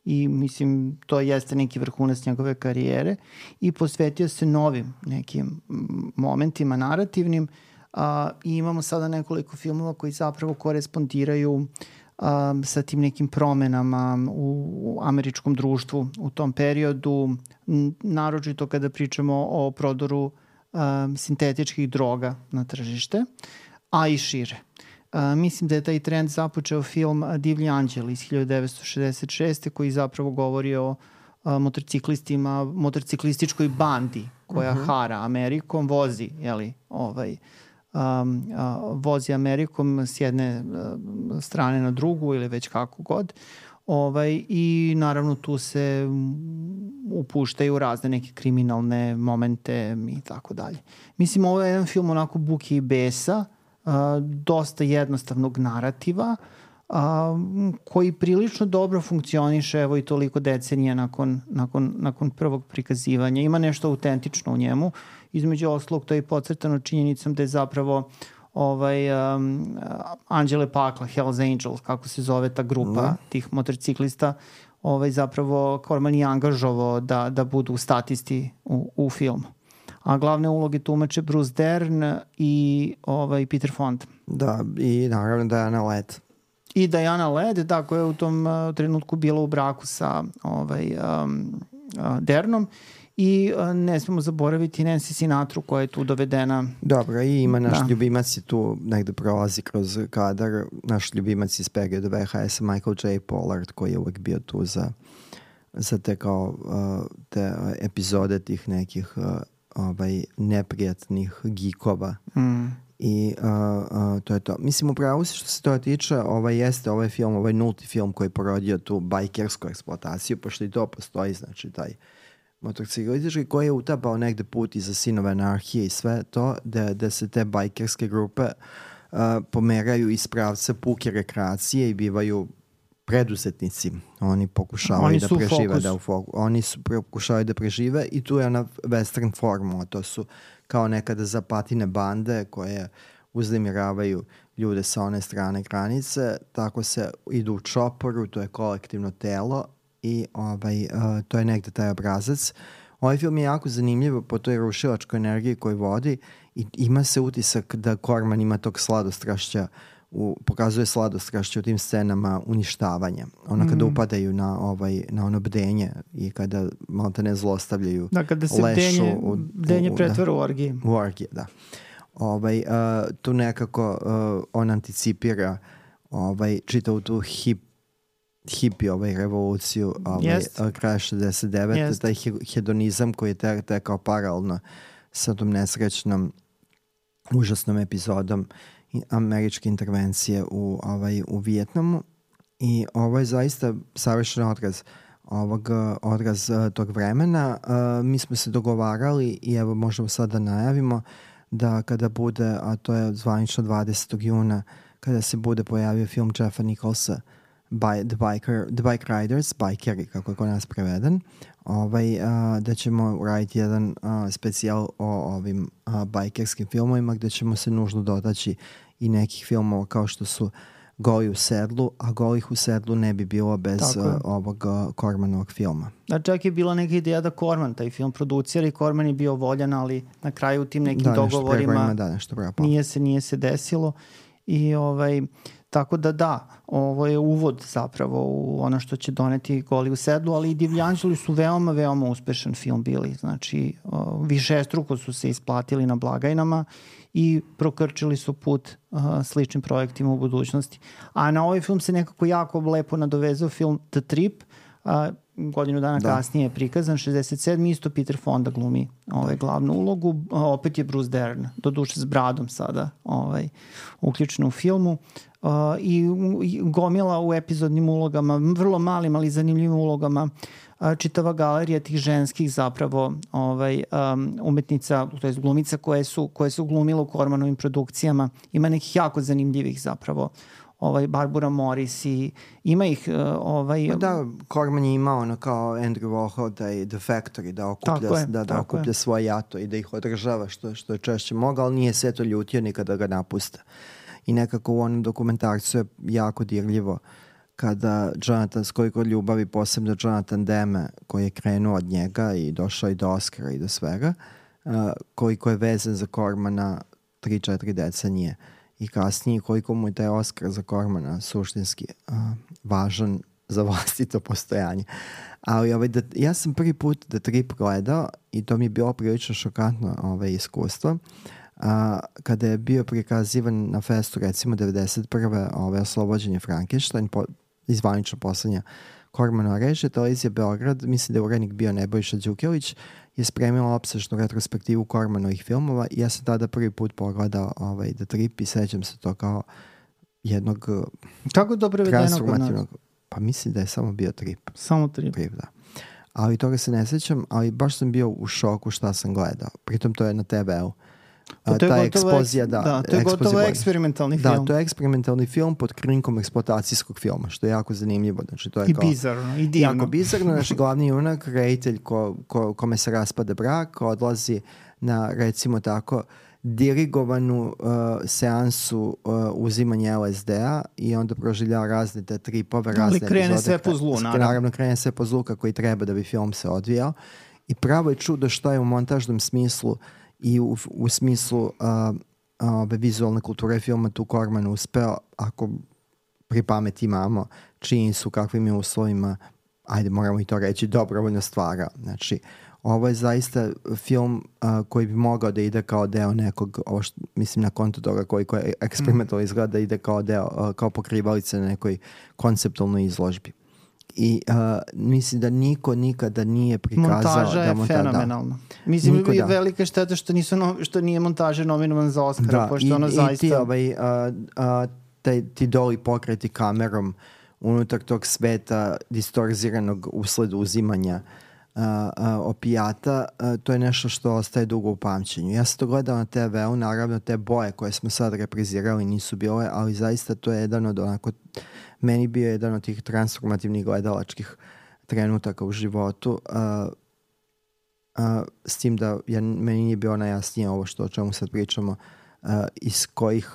i mislim to jeste neki vrhunac njegove karijere i posvetio se novim nekim momentima narativnim i imamo sada nekoliko filmova koji zapravo korespondiraju sa tim nekim promenama u američkom društvu u tom periodu, naročito kada pričamo o prodoru sintetičkih droga na tržište, a i šire. Mislim da je taj trend započeo film Divlji anđeli iz 1966. koji zapravo govori o motociklistima, motociklističkoj bandi koja hara Amerikom, vozi, vozi Amerikom s jedne strane na drugu ili već kako god. I naravno tu se upuštaju razne neke kriminalne momente i tako dalje. Mislim, ovo je jedan film onako buke i besa, dosta jednostavnog narativa, koji prilično dobro funkcioniše evo i toliko decenija nakon prvog prikazivanja. Ima nešto autentično u njemu. Između oslog to je podcrtano činjenicom da je zapravo Anđele pakla, Hells Angels, kako se zove ta grupa tih motorciklista, zapravo Corman je angažovao da budu statisti u filmu. A glavne uloge tumače Bruce Dern i Peter Fonda. Da, i naravno Diana Ladd. I Diana Ladd, da, koja je u tom trenutku bila u braku sa Dernom. I ne smemo zaboraviti Nancy Sinatru koja je tu dovedena. Dobro, i ima naš ljubimac je tu negde prolazi kroz kadar. Naš ljubimac iz perioda VHS, Michael J. Pollard, koji je uvek bio tu za te kao te epizode tih nekih neprijatnih geekova. I to je to. Mislim, upravo se što se toga tiče, ovaj film, ovaj nulti film koji je porodio tu bajkersku eksploataciju, pošto i to postoji, znači taj motociklistički koji je utapao negde put iza Sinove anarhije i sve to, da se te bajkerske grupe pomeraju iz pravca puke rekreacije i bivaju preduzetnici. Oni pokušavaju da prežive. Oni su pokušavaju da prežive i tu je ona western formula. To su kao nekada zapatine bande koje uznemiravaju ljude sa one strane granice. Tako se idu u čoporu, to je kolektivno telo i to je negde taj obrazac. Ovaj film je jako zanimljiv po toj rušilačkoj energiji koju vodi i ima se utisak da Corman ima tog sladostrašća pokazuje sladostrašće u tim scenama uništavanja. Ona kada upadaju na ono bdenje i kada malo te ne zlostavljaju, da, kada se bdenje pretvara u orgije. U orgije, da. Tu nekako on anticipira čitavu tu hipi revoluciju kraja 69. Taj hedonizam koji je tekao paralelno sa tom nesrećnom užasnom epizodom američke intervencije u Vijetnamu. I ovo je zaista savršen odraz tog vremena. Mi smo se dogovarali i evo možemo sad da najavimo da kada bude, a to je zvanično 20. juna, kada se bude pojavio film Jeffa Nicholsa The Bike Riders, Bikeri, kako je kod nas preveden, da ćemo uraditi jedan specijal o ovim bajkerskim filmovima, gde ćemo se nužno dotaći i nekih filmova kao što su Goli u sedlu, a Golih u sedlu ne bi bilo bez ovog Cormanovog filma. Da, čak je bila neka ideja da Corman taj film producira i Corman je bio voljan, ali na kraju u tim nekim dogovorima nije se desilo. I tako da, ovo je uvod zapravo u ono što će doneti Goli u sedlu, ali i Divlji anđeli su veoma, veoma uspešan film bili. Znači, višestruko su se isplatili na blagajnama i prokrčili su put sličnim projektima u budućnosti. A na ovaj film se nekako jako lepo nadovezao film The Trip, godinu dana kasnije je prikazan, 67. Isto Peter Fonda glumi glavnu ulogu, opet je Bruce Dern, doduše s bradom sada uključen u filmu, i gomila u epizodnim ulogama, vrlo malim ali zanimljivim ulogama, čitava galerija tih ženskih zapravo umetnica, to je glumica koje su glumile u Cormanovim produkcijama. Ima nekih jako zanimljivih zapravo, Barbara Morris i ima ih Da, Corman je imao ono kao Andrew Warhol, taj The Factory, da okuplja svoje jato i da ih održava što je češće mogao, ali nije se to ljutio nikada ga napusta. I nekako u onom dokumentarcu je jako dirljivo kada Jonathan, s koliko ljubavi, posebno Jonathan Demme, koji je krenuo od njega i došao i do Oscara i do svega, koliko je vezan za Cormana 3-4 decenije. I kasnije koliko mu je taj Oscar za Cormana suštinski važan za vlastito postojanje. Ali ja sam prvi put The Trip gledao i to mi je bilo prilično šokantno iskustvo. Kada je bio prikazivan na festu recimo 91. Oslobođenje Frankenstein, izvanično poslednja Cormanova režija, televizija Beograd, mislim da je urednik bio Nebojša Đukelić, je spremila opsežnu retrospektivu Cormanovih filmova i ja sam tada prvi put pogledao The Trip i sećam se to kao jednog kako dobro vedeno kod nas? Pa mislim da je samo bio Trip. Samo Trip, da. Ali toga se ne sećam, ali baš sam bio u šoku šta sam gledao. Pritom to je na TV-u. Ta ekspozija, to je gotovo eksperimentalni film. Da, to je eksperimentalni film pod krinkom eksploatacijskog filma, što je jako zanimljivo. Znači, to je i bizarno, i divno. Jako bizarno. Naš glavni junak, reditelj kome se raspada brak, odlazi na, recimo tako, dirigovanu seansu uzimanja LSD-a i onda proživljava razne te tripove, razne epizode. Ali krene sve po zlu, naravno. Krene sve po zlu kako i treba da bi film se odvijao. I pravo je čudo što je u montažnom smislu i u smislu vizualne kulture filma tu Corman uspeo, ako pri pameti imamo činjenicu kakvim je uslovima, ajde moramo i to reći, dobrovoljno stvara. Znači, ovo je zaista film koji bi mogao da ide kao deo nekog, mislim na konto toga koliko je eksperimentalno izgleda, da ide kao deo, kao pokrivalica na nekoj konceptualnoj izložbi. I mislim da niko nikada nije prikazao montaža je fenomenalna. Mislim da je velika šteta što nije montaža nominovan za Oscara, pošto ono zaista... Ti doli pokreti kamerom unutar tog sveta distorziranog usled uzimanja opijata, to je nešto što ostaje dugo u pamćenju. Ja sam to gledao na TV-u, naravno te boje koje smo sad reprizirali nisu bile, ali zaista to je jedan od onako, meni bio jedan od tih transformativnih gledalačkih trenutaka u životu, s tim da meni nije bilo najjasnije ovo o čemu sad pričamo, iz kojih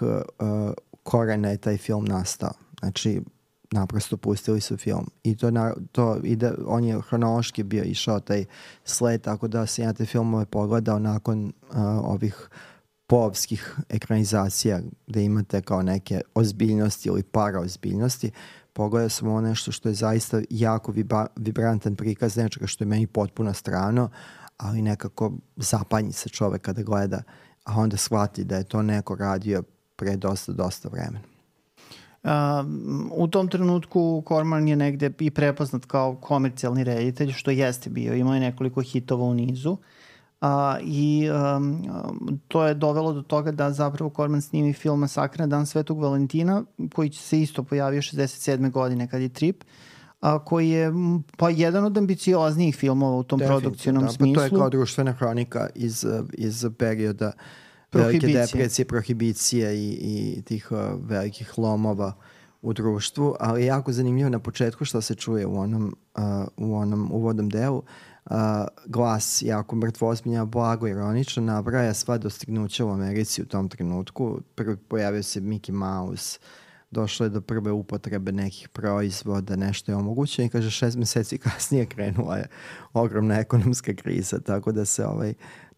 korena je taj film nastao. Znači, naprosto pustili su film i to ide, on je hronološki bio išao taj sled, tako da sam ja te filmove pogledao nakon ovih povskih ekranizacija gde imate kao neke ozbiljnosti ili paraozbiljnosti. Pogledao sam ovo nešto što je zaista jako vibrantan prikaz nečega što je meni potpuno strano, ali nekako zapanji se čovek kada gleda, a onda shvati da je to neko radio pre dosta vremena. U tom trenutku Corman je negde i prepoznat kao komercijalni reditelj, što jeste bio. Imao je nekoliko hitova u nizu. To je dovelo do toga da zapravo Corman snimi film Masakr na dan Svetog Valentina, koji se isto pojavio 67. godine kad je Trip, koji je jedan od ambicioznijih filmova u tom produkcijnom smislu. To je kao društvena hronika iz perioda velike depresije, prohibicije i tih velikih lomova u društvu, ali je jako zanimljivo na početku što se čuje u onom uvodnom delu. Glas jako mrtvozbiljan, blago ironično nabraja sva dostignuća u Americi u tom trenutku. Prvi pojavio se Mickey Mouse, došlo je do prve upotrebe nekih proizvoda, nešto je omogućeno i kaže 6 meseci kasnije krenula je ogromna ekonomska kriza, tako da se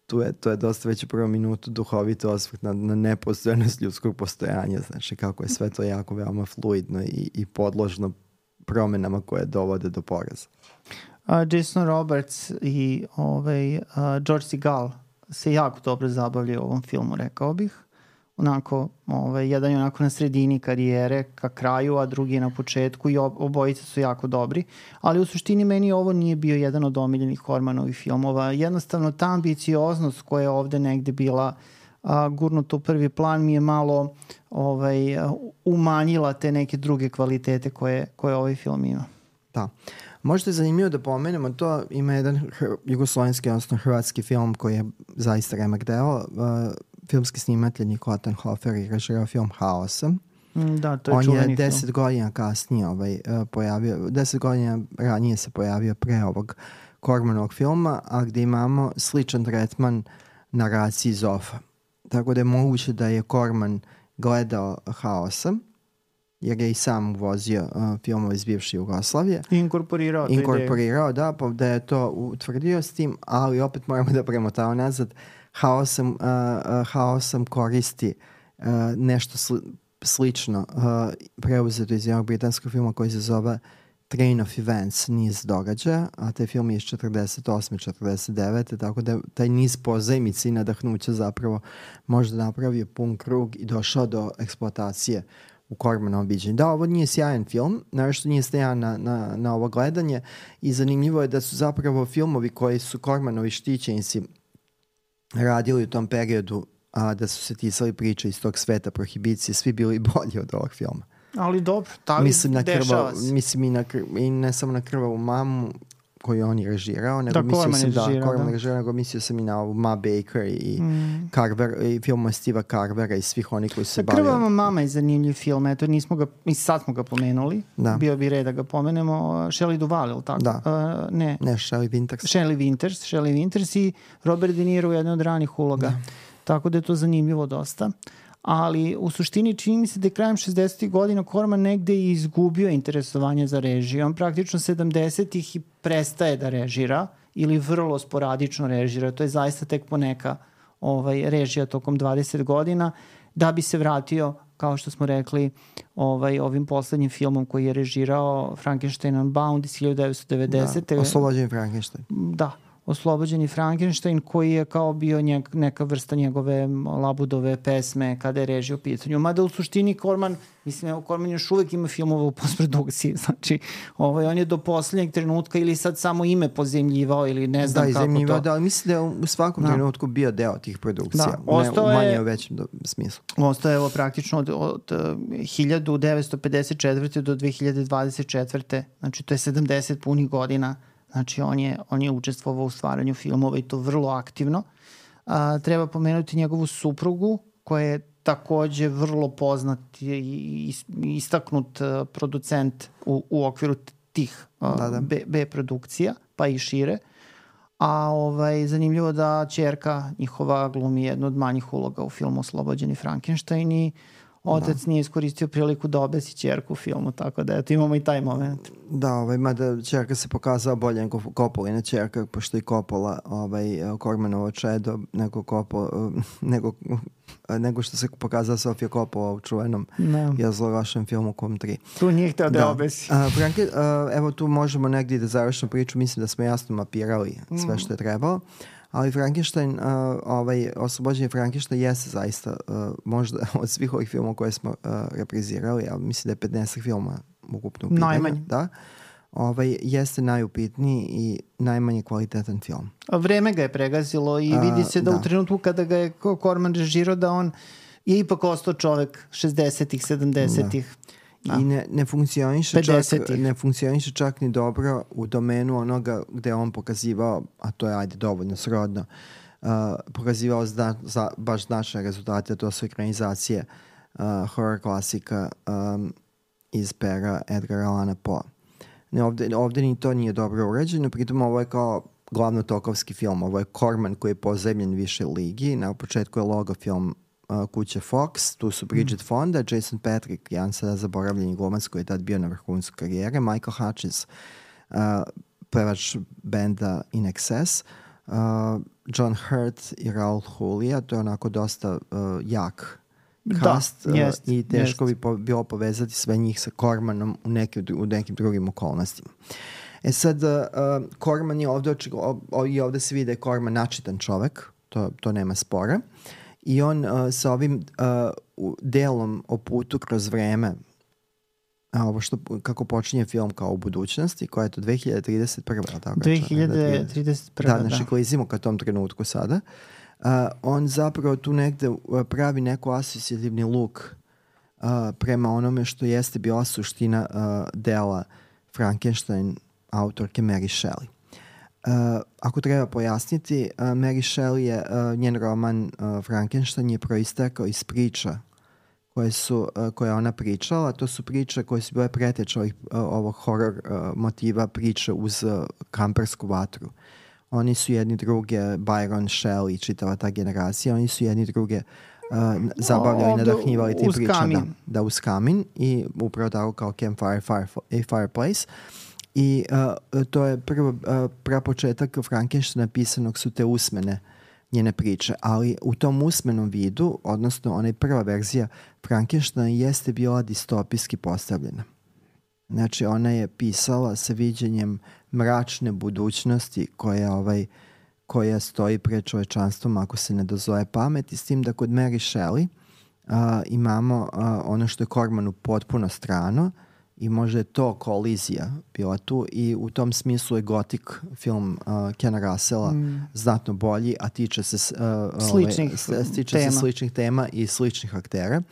to je dosta već u prvom minutu duhovito osvrt na nepostojanost ljudskog postojanja, znači kako je sve to jako veoma fluidno i podložno promenama koje dovode do poraza. Jason Roberts i George Segal se jako dobro zabavljaju u ovom filmu, rekao bih. Jedan je onako na sredini karijere ka kraju, a drugi je na početku i obojice su jako dobri, ali u suštini meni ovo nije bio jedan od omiljenih Cormanovih filmova. Jednostavno ta ambicioznost koja je ovde negde bila gurnuta u prvi plan mi je malo umanjila te neke druge kvalitete koje ovaj film ima. Da. Možda je zanimljivo da pomenemo to, ima jedan jugoslovenski, odnosno hrvatski film koji je zaista remek deo, filmski snimatelj Nikola Tanhofer je režirao film Haosa. Da, to je čuveni film. On je 10 godina kasnije pojavio, 10 godina ranije se pojavio pre ovog Cormanovog filma, a gde imamo sličan tretman naraciji Zofa. Tako da je moguće da je Corman gledao Haosa, jer je i sam uvozio filmove iz bivše Jugoslavije. Inkorporirao, da je to utvrdio s tim, ali opet moramo da premotamo nazad. Haosam koristi nešto slično preuzeto iz jednog britanskog filma koji se zove Train of Events, niz događaja, a taj film je iz 48. 49. Tako da taj niz pozajmici i nadahnuća zapravo možda napravio pun krug i došao do eksploatacije u Cormanovom viđenju. Da, ovo nije sjajan film, naravno nije sjajan na ovo gledanje i zanimljivo je da su zapravo filmovi koji su Cormanovi štićenici radili u tom periodu, a da su se tisali priče iz tog sveta prohibicije, svi bili bolji od ovog filma. Ali dobro, dešava se. Mislim i ne samo na Krvavu mamu koju on je režirao, nego mislio sam i na ovu Ma Baker i Carver, i filmove Steva Carvera i svih onih koji su se bavili. Krvava mama je zanimljiv film, eto sad smo ga pomenuli, bio bi red da ga pomenemo. Shelley Duvall, ili tako? Da. Ne, Shelley Winters. Shelley Winters i Robert De Niro u jednoj od ranih uloga. Da. Tako da je to zanimljivo dosta. Ali u suštini čini mi se da je krajem 60. godina Corman negde i izgubio interesovanje za režiju. On praktično 70-ih i prestaje da režira ili vrlo sporadično režira. To je zaista tek poneka režija tokom 20 godina da bi se vratio, kao što smo rekli, ovim poslednjim filmom koji je režirao Frankenstein Unbound iz 1990. Da, Oslobođeni Frankenstein. Da. Oslobođeni Frankenstein, koji je kao bio neka vrsta njegove Labudove pesme kada je režija u pitanju. Mada u suštini Corman još uvek ima filmove u postprodukciji. Znači, on je do poslednjeg trenutka ili sad samo ime pozemljivao ili ne znam kako to. Da, ali mislim da je u svakom trenutku bio deo tih produkcija. U manje u većem smislu. Ostao je praktično od 1954. do 2024. Znači, to je 70 punih godina. Znači, on je učestvovao u stvaranju filmova i to vrlo aktivno. Treba pomenuti njegovu suprugu, koja je takođe vrlo poznat i istaknut producent u okviru tih B produkcija, pa i šire. A zanimljivo da ćerka njihova glumi jednu od manjih uloga u filmu Oslobođeni Frankenstein i otac nije iskoristio priliku da obesi ćerku u filmu, tako da eto, imamo i taj moment. Da, mada ćerka se pokazala bolje nego Coppolina ćerka, pošto i Coppola, Cormanovo čedo, nego što se pokazala Sofia Coppola u čuvenom zlovašem filmu Kom 3. Tu nije hteo da obesi. Evo tu možemo negdje da završimo priču, mislim da smo jasno mapirali sve što je trebalo. Ali Frankenstein, oslobođenje Frankenstein jeste zaista možda od svih ovih filmova koje smo reprizirali, ali mislim da je 15 filma ukupno u pitanju. Najmanje. Da. Jeste najupitniji i najmanje kvalitetan film. Vreme ga je pregazilo i vidi se da u trenutku kada ga je Corman režirao da on je ipak ostao čovek 60-ih, 70-ih. I ne funkcioniše čak ni dobro u domenu onoga gde on pokazivao, a to je dovoljno srodno, pokazivao baš značne rezultate, to su ekranizacije horror klasika iz pera Edgara Allana Poe. Ovdje ni to nije dobro urađeno, pritom ovo je kao glavno tokovski film, ovo je Corman koji je pozemljen više ligi, na početku je logo film kuće Fox, tu su Bridget Fonda, Jason Patric, jedan sada zaboravljeni glumac koji je tad bio na vrhuncu karijere, Michael Hutchins, pevač benda In Excess, John Hurt i Raul Julia, to je onako dosta jak cast i teško bi bilo povezati sve njih sa Cormanom u nekim drugim okolnostima. Sad, Corman je ovdje se vidi da je Corman načitan čovek, to nema spora. I on sa ovim delom o putu kroz vreme, kako počinje film kao u budućnosti, koja je to 2031. Tako 2031. Da, znači klizimo ka tom trenutku sada. On zapravo tu negde pravi neku asocijativni luk prema onome što jeste bila suština dela Frankenstein autorke Mary Shelley. Ako treba pojasniti, Mary Shelley je, njen roman Frankenstein je proistekao iz priča koje ona pričala. To su priče koje su bile preteče ovog horror motiva priče uz kampersku vatru. Oni su jedni druge, Byron, Shelley, čitava ta generacija, oni su jedni druge zabavljali i nadahnjivali tim pričama. Da, uz kamin i upravo tako kao Campfire i Fireplace. I to je prapočetak Frankensteina pisanog su te usmene njene priče, ali u tom usmenom vidu, odnosno onaj prva verzija Frankensteina jeste bila distopijski postavljena. Znači ona je pisala sa viđenjem mračne budućnosti koja stoji pred čovečanstvom ako se ne dozove pamet, i s tim da kod Mary Shelley imamo ono što je Cormanu potpuno strano i možda je to kolizija bila tu i u tom smislu je Gothic film Kena Russella znatno bolji, a tiče se sličnih tema i sličnih aktera.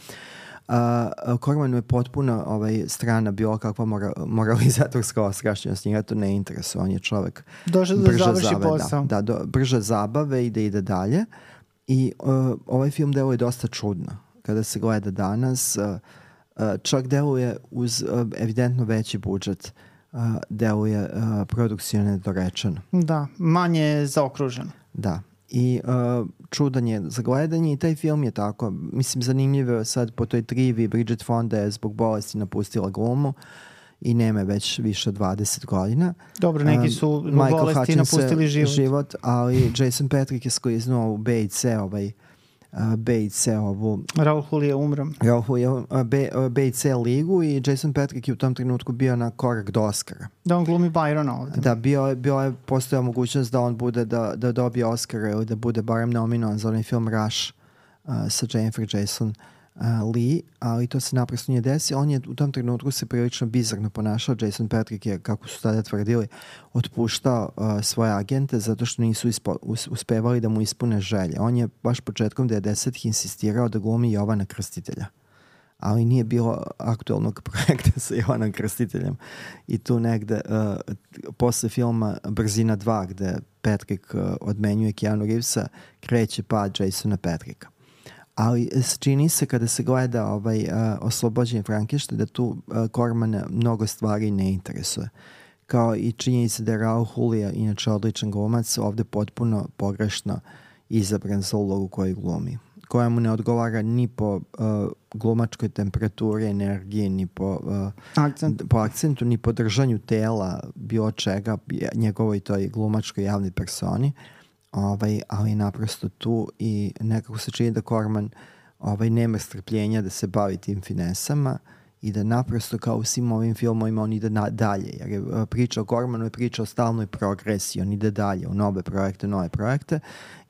Cormanu je potpuno strana bilo kakva moralizatorska osrašćenost, njega to ne interesuje, on je čovek došao da završi posao. Brže zabave i da ide dalje. I ovaj film deluje dosta čudno kada se gleda danas. Čak deluje uz evidentno veći budžet, deluje produkcijno nedorečeno. Da, manje zaokruženo. Da. I čudan je za gledanje i taj film je tako, mislim, zanimljivo sad po toj trivi. Bridget Fonda je zbog bolesti napustila glumu i nema već više od 20 godina. Dobro, neki su zbog bolesti napustili život. Ali Jason Patric je skliznuo u B i C ovu Raul Julia umro. B i C ligu i Jason Patric je u tom trenutku bio na korak do Oscara. Da on glumi Byrona ovdje. Da, postojala mogućnost da on bude da dobije Oscara ili da bude barem nominovan za onaj film Rush sa Jennifer Jason Lee, ali to se naprosto nije desilo. On je u tom trenutku se prilično bizarno ponašao. Jason Patric je, kako su tada tvrdili, otpuštao svoje agente zato što nisu uspevali da mu ispune želje. On je baš početkom 90-ih insistirao da glumi Jovana Krstitelja, ali nije bilo aktualnog projekta sa Jovanom Krstiteljem. I tu negde posle filma Brzina 2 gde Patrick odmenjuje Keanu Reevesa, kreće pad Jasona Patricka. Ali čini se kada se gleda oslobođenje Frankensteina da tu Cormana mnogo stvari ne interesuje. Kao i činjenica da je Raul Julia, inače odličan glumac, ovdje potpuno pogrešno izabran za ulogu koju glumi. koja mu ne odgovara ni po glumačkoj temperaturi, energiji, ni po akcentu, ni po držanju tela, bilo čega, njegovoj toj glumačkoj javnoj personi, ali naprosto tu i nekako se čini da Corman nema strpljenja da se bavi tim finesama i da naprosto kao u svim ovim filmovima on ide dalje, jer je priča o Cormanu je priča o stalnoj progresiji, on ide dalje u nove projekte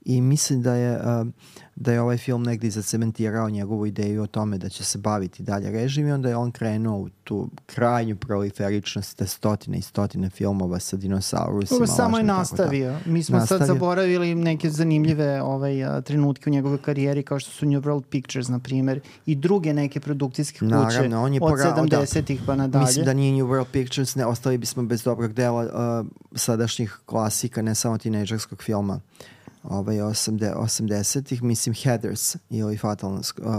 i mislim da je ovaj film negdje zacementirao njegovu ideju o tome da će se baviti dalje režim i onda je on krenuo u tu krajnju proliferičnost da stotine i stotine filmova sa dinosaurusima. Samo je nastavio. Mi smo sad zaboravili neke zanimljive trenutke u njegovoj karijeri kao što su New World Pictures, na primjer, i druge neke produkcijske kuće. Naravno, on je od 70-ih pa nadalje. Mislim da nije New World Pictures, ne, ostali bismo bez dobrog dela sadašnjih klasika, ne samo tinejdžerskog filma. 80-ih, mislim Heathers ili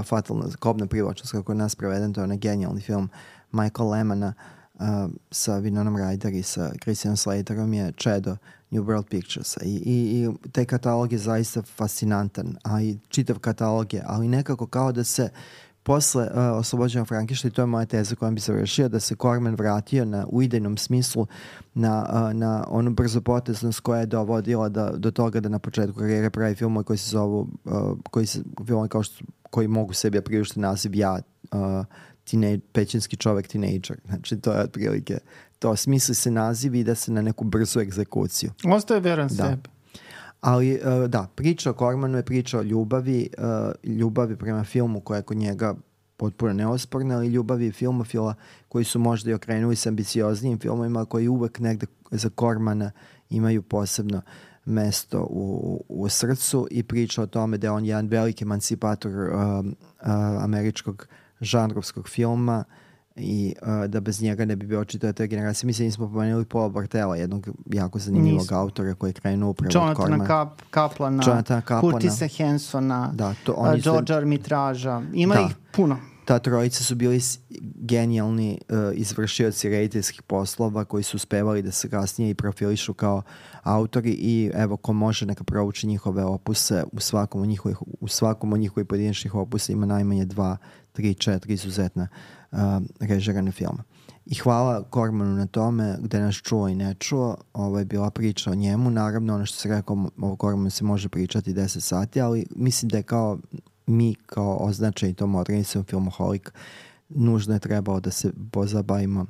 Fatalna kobna privlačnost, kako je nas preveden, to je onaj genijalni film Michael Lemana sa Winonom Ryder i sa Christianom Slaterom je čedo New World Pictures i taj katalog je zaista fascinantan, a i čitav katalog je, ali nekako kao da se posle Oslobođenog Frankensteina, i to je moja teza kojom bi završio, da se Corman vratio u idejnom smislu na onu brzopoteznost koja je dovodila do toga da na početku karijere pravi filmove koji se zovu filmove koji mogu sebi priuštiti naziv pećinski čovek tinejdžer. Znači to je otprilike to. Smisli se naziv i da se na neku brzu egzekuciju. Ostaje veran sebi. Ali da, priča o Cormanu je priča o ljubavi prema filmu koja je kod njega potpuno neosporna, ali ljubavi filmofila koji su možda i okrenuli s ambicioznijim filmovima, koji uvek negde za Cormana imaju posebno mesto u srcu i priča o tome da je on jedan veliki emancipator američkog žanrovskog filma i da bez njega ne bi bio očito te generacije. Mislim, nismo pomenuli Paula Bartela, jednog jako zanimljivog autora koji je krenuo upravo od Cormana. Jonathana Kaplana, Curtisa Hansona, Georgea Armitraža. Ima ih puno. Ta trojica su bili genijalni izvršioci rediteljskih poslova koji su uspevali da se kasnije i profilišu kao autori i evo ko može neka prouči njihove opuse, u svakom od njihovih pojedinačnih opusa ima najmanje 2, 3, 4 izuzetna režirane filma. I hvala Cormanu na tome, gde nas čuo i ne čuo. Ovo je bila priča o njemu. Naravno, ono što se rekao, o Cormanu se može pričati 10 sati, ali mislim da je kao označeni tom organizujom Filmoholik nužno je trebalo da se pozabavimo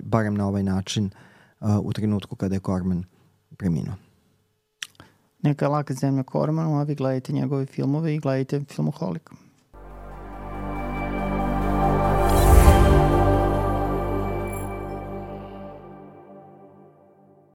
barem na ovaj način u trenutku kada je Corman preminuo. Neka je laka zemlja Cormanu, a vi gledajte njegove filmove i gledajte Filmoholik.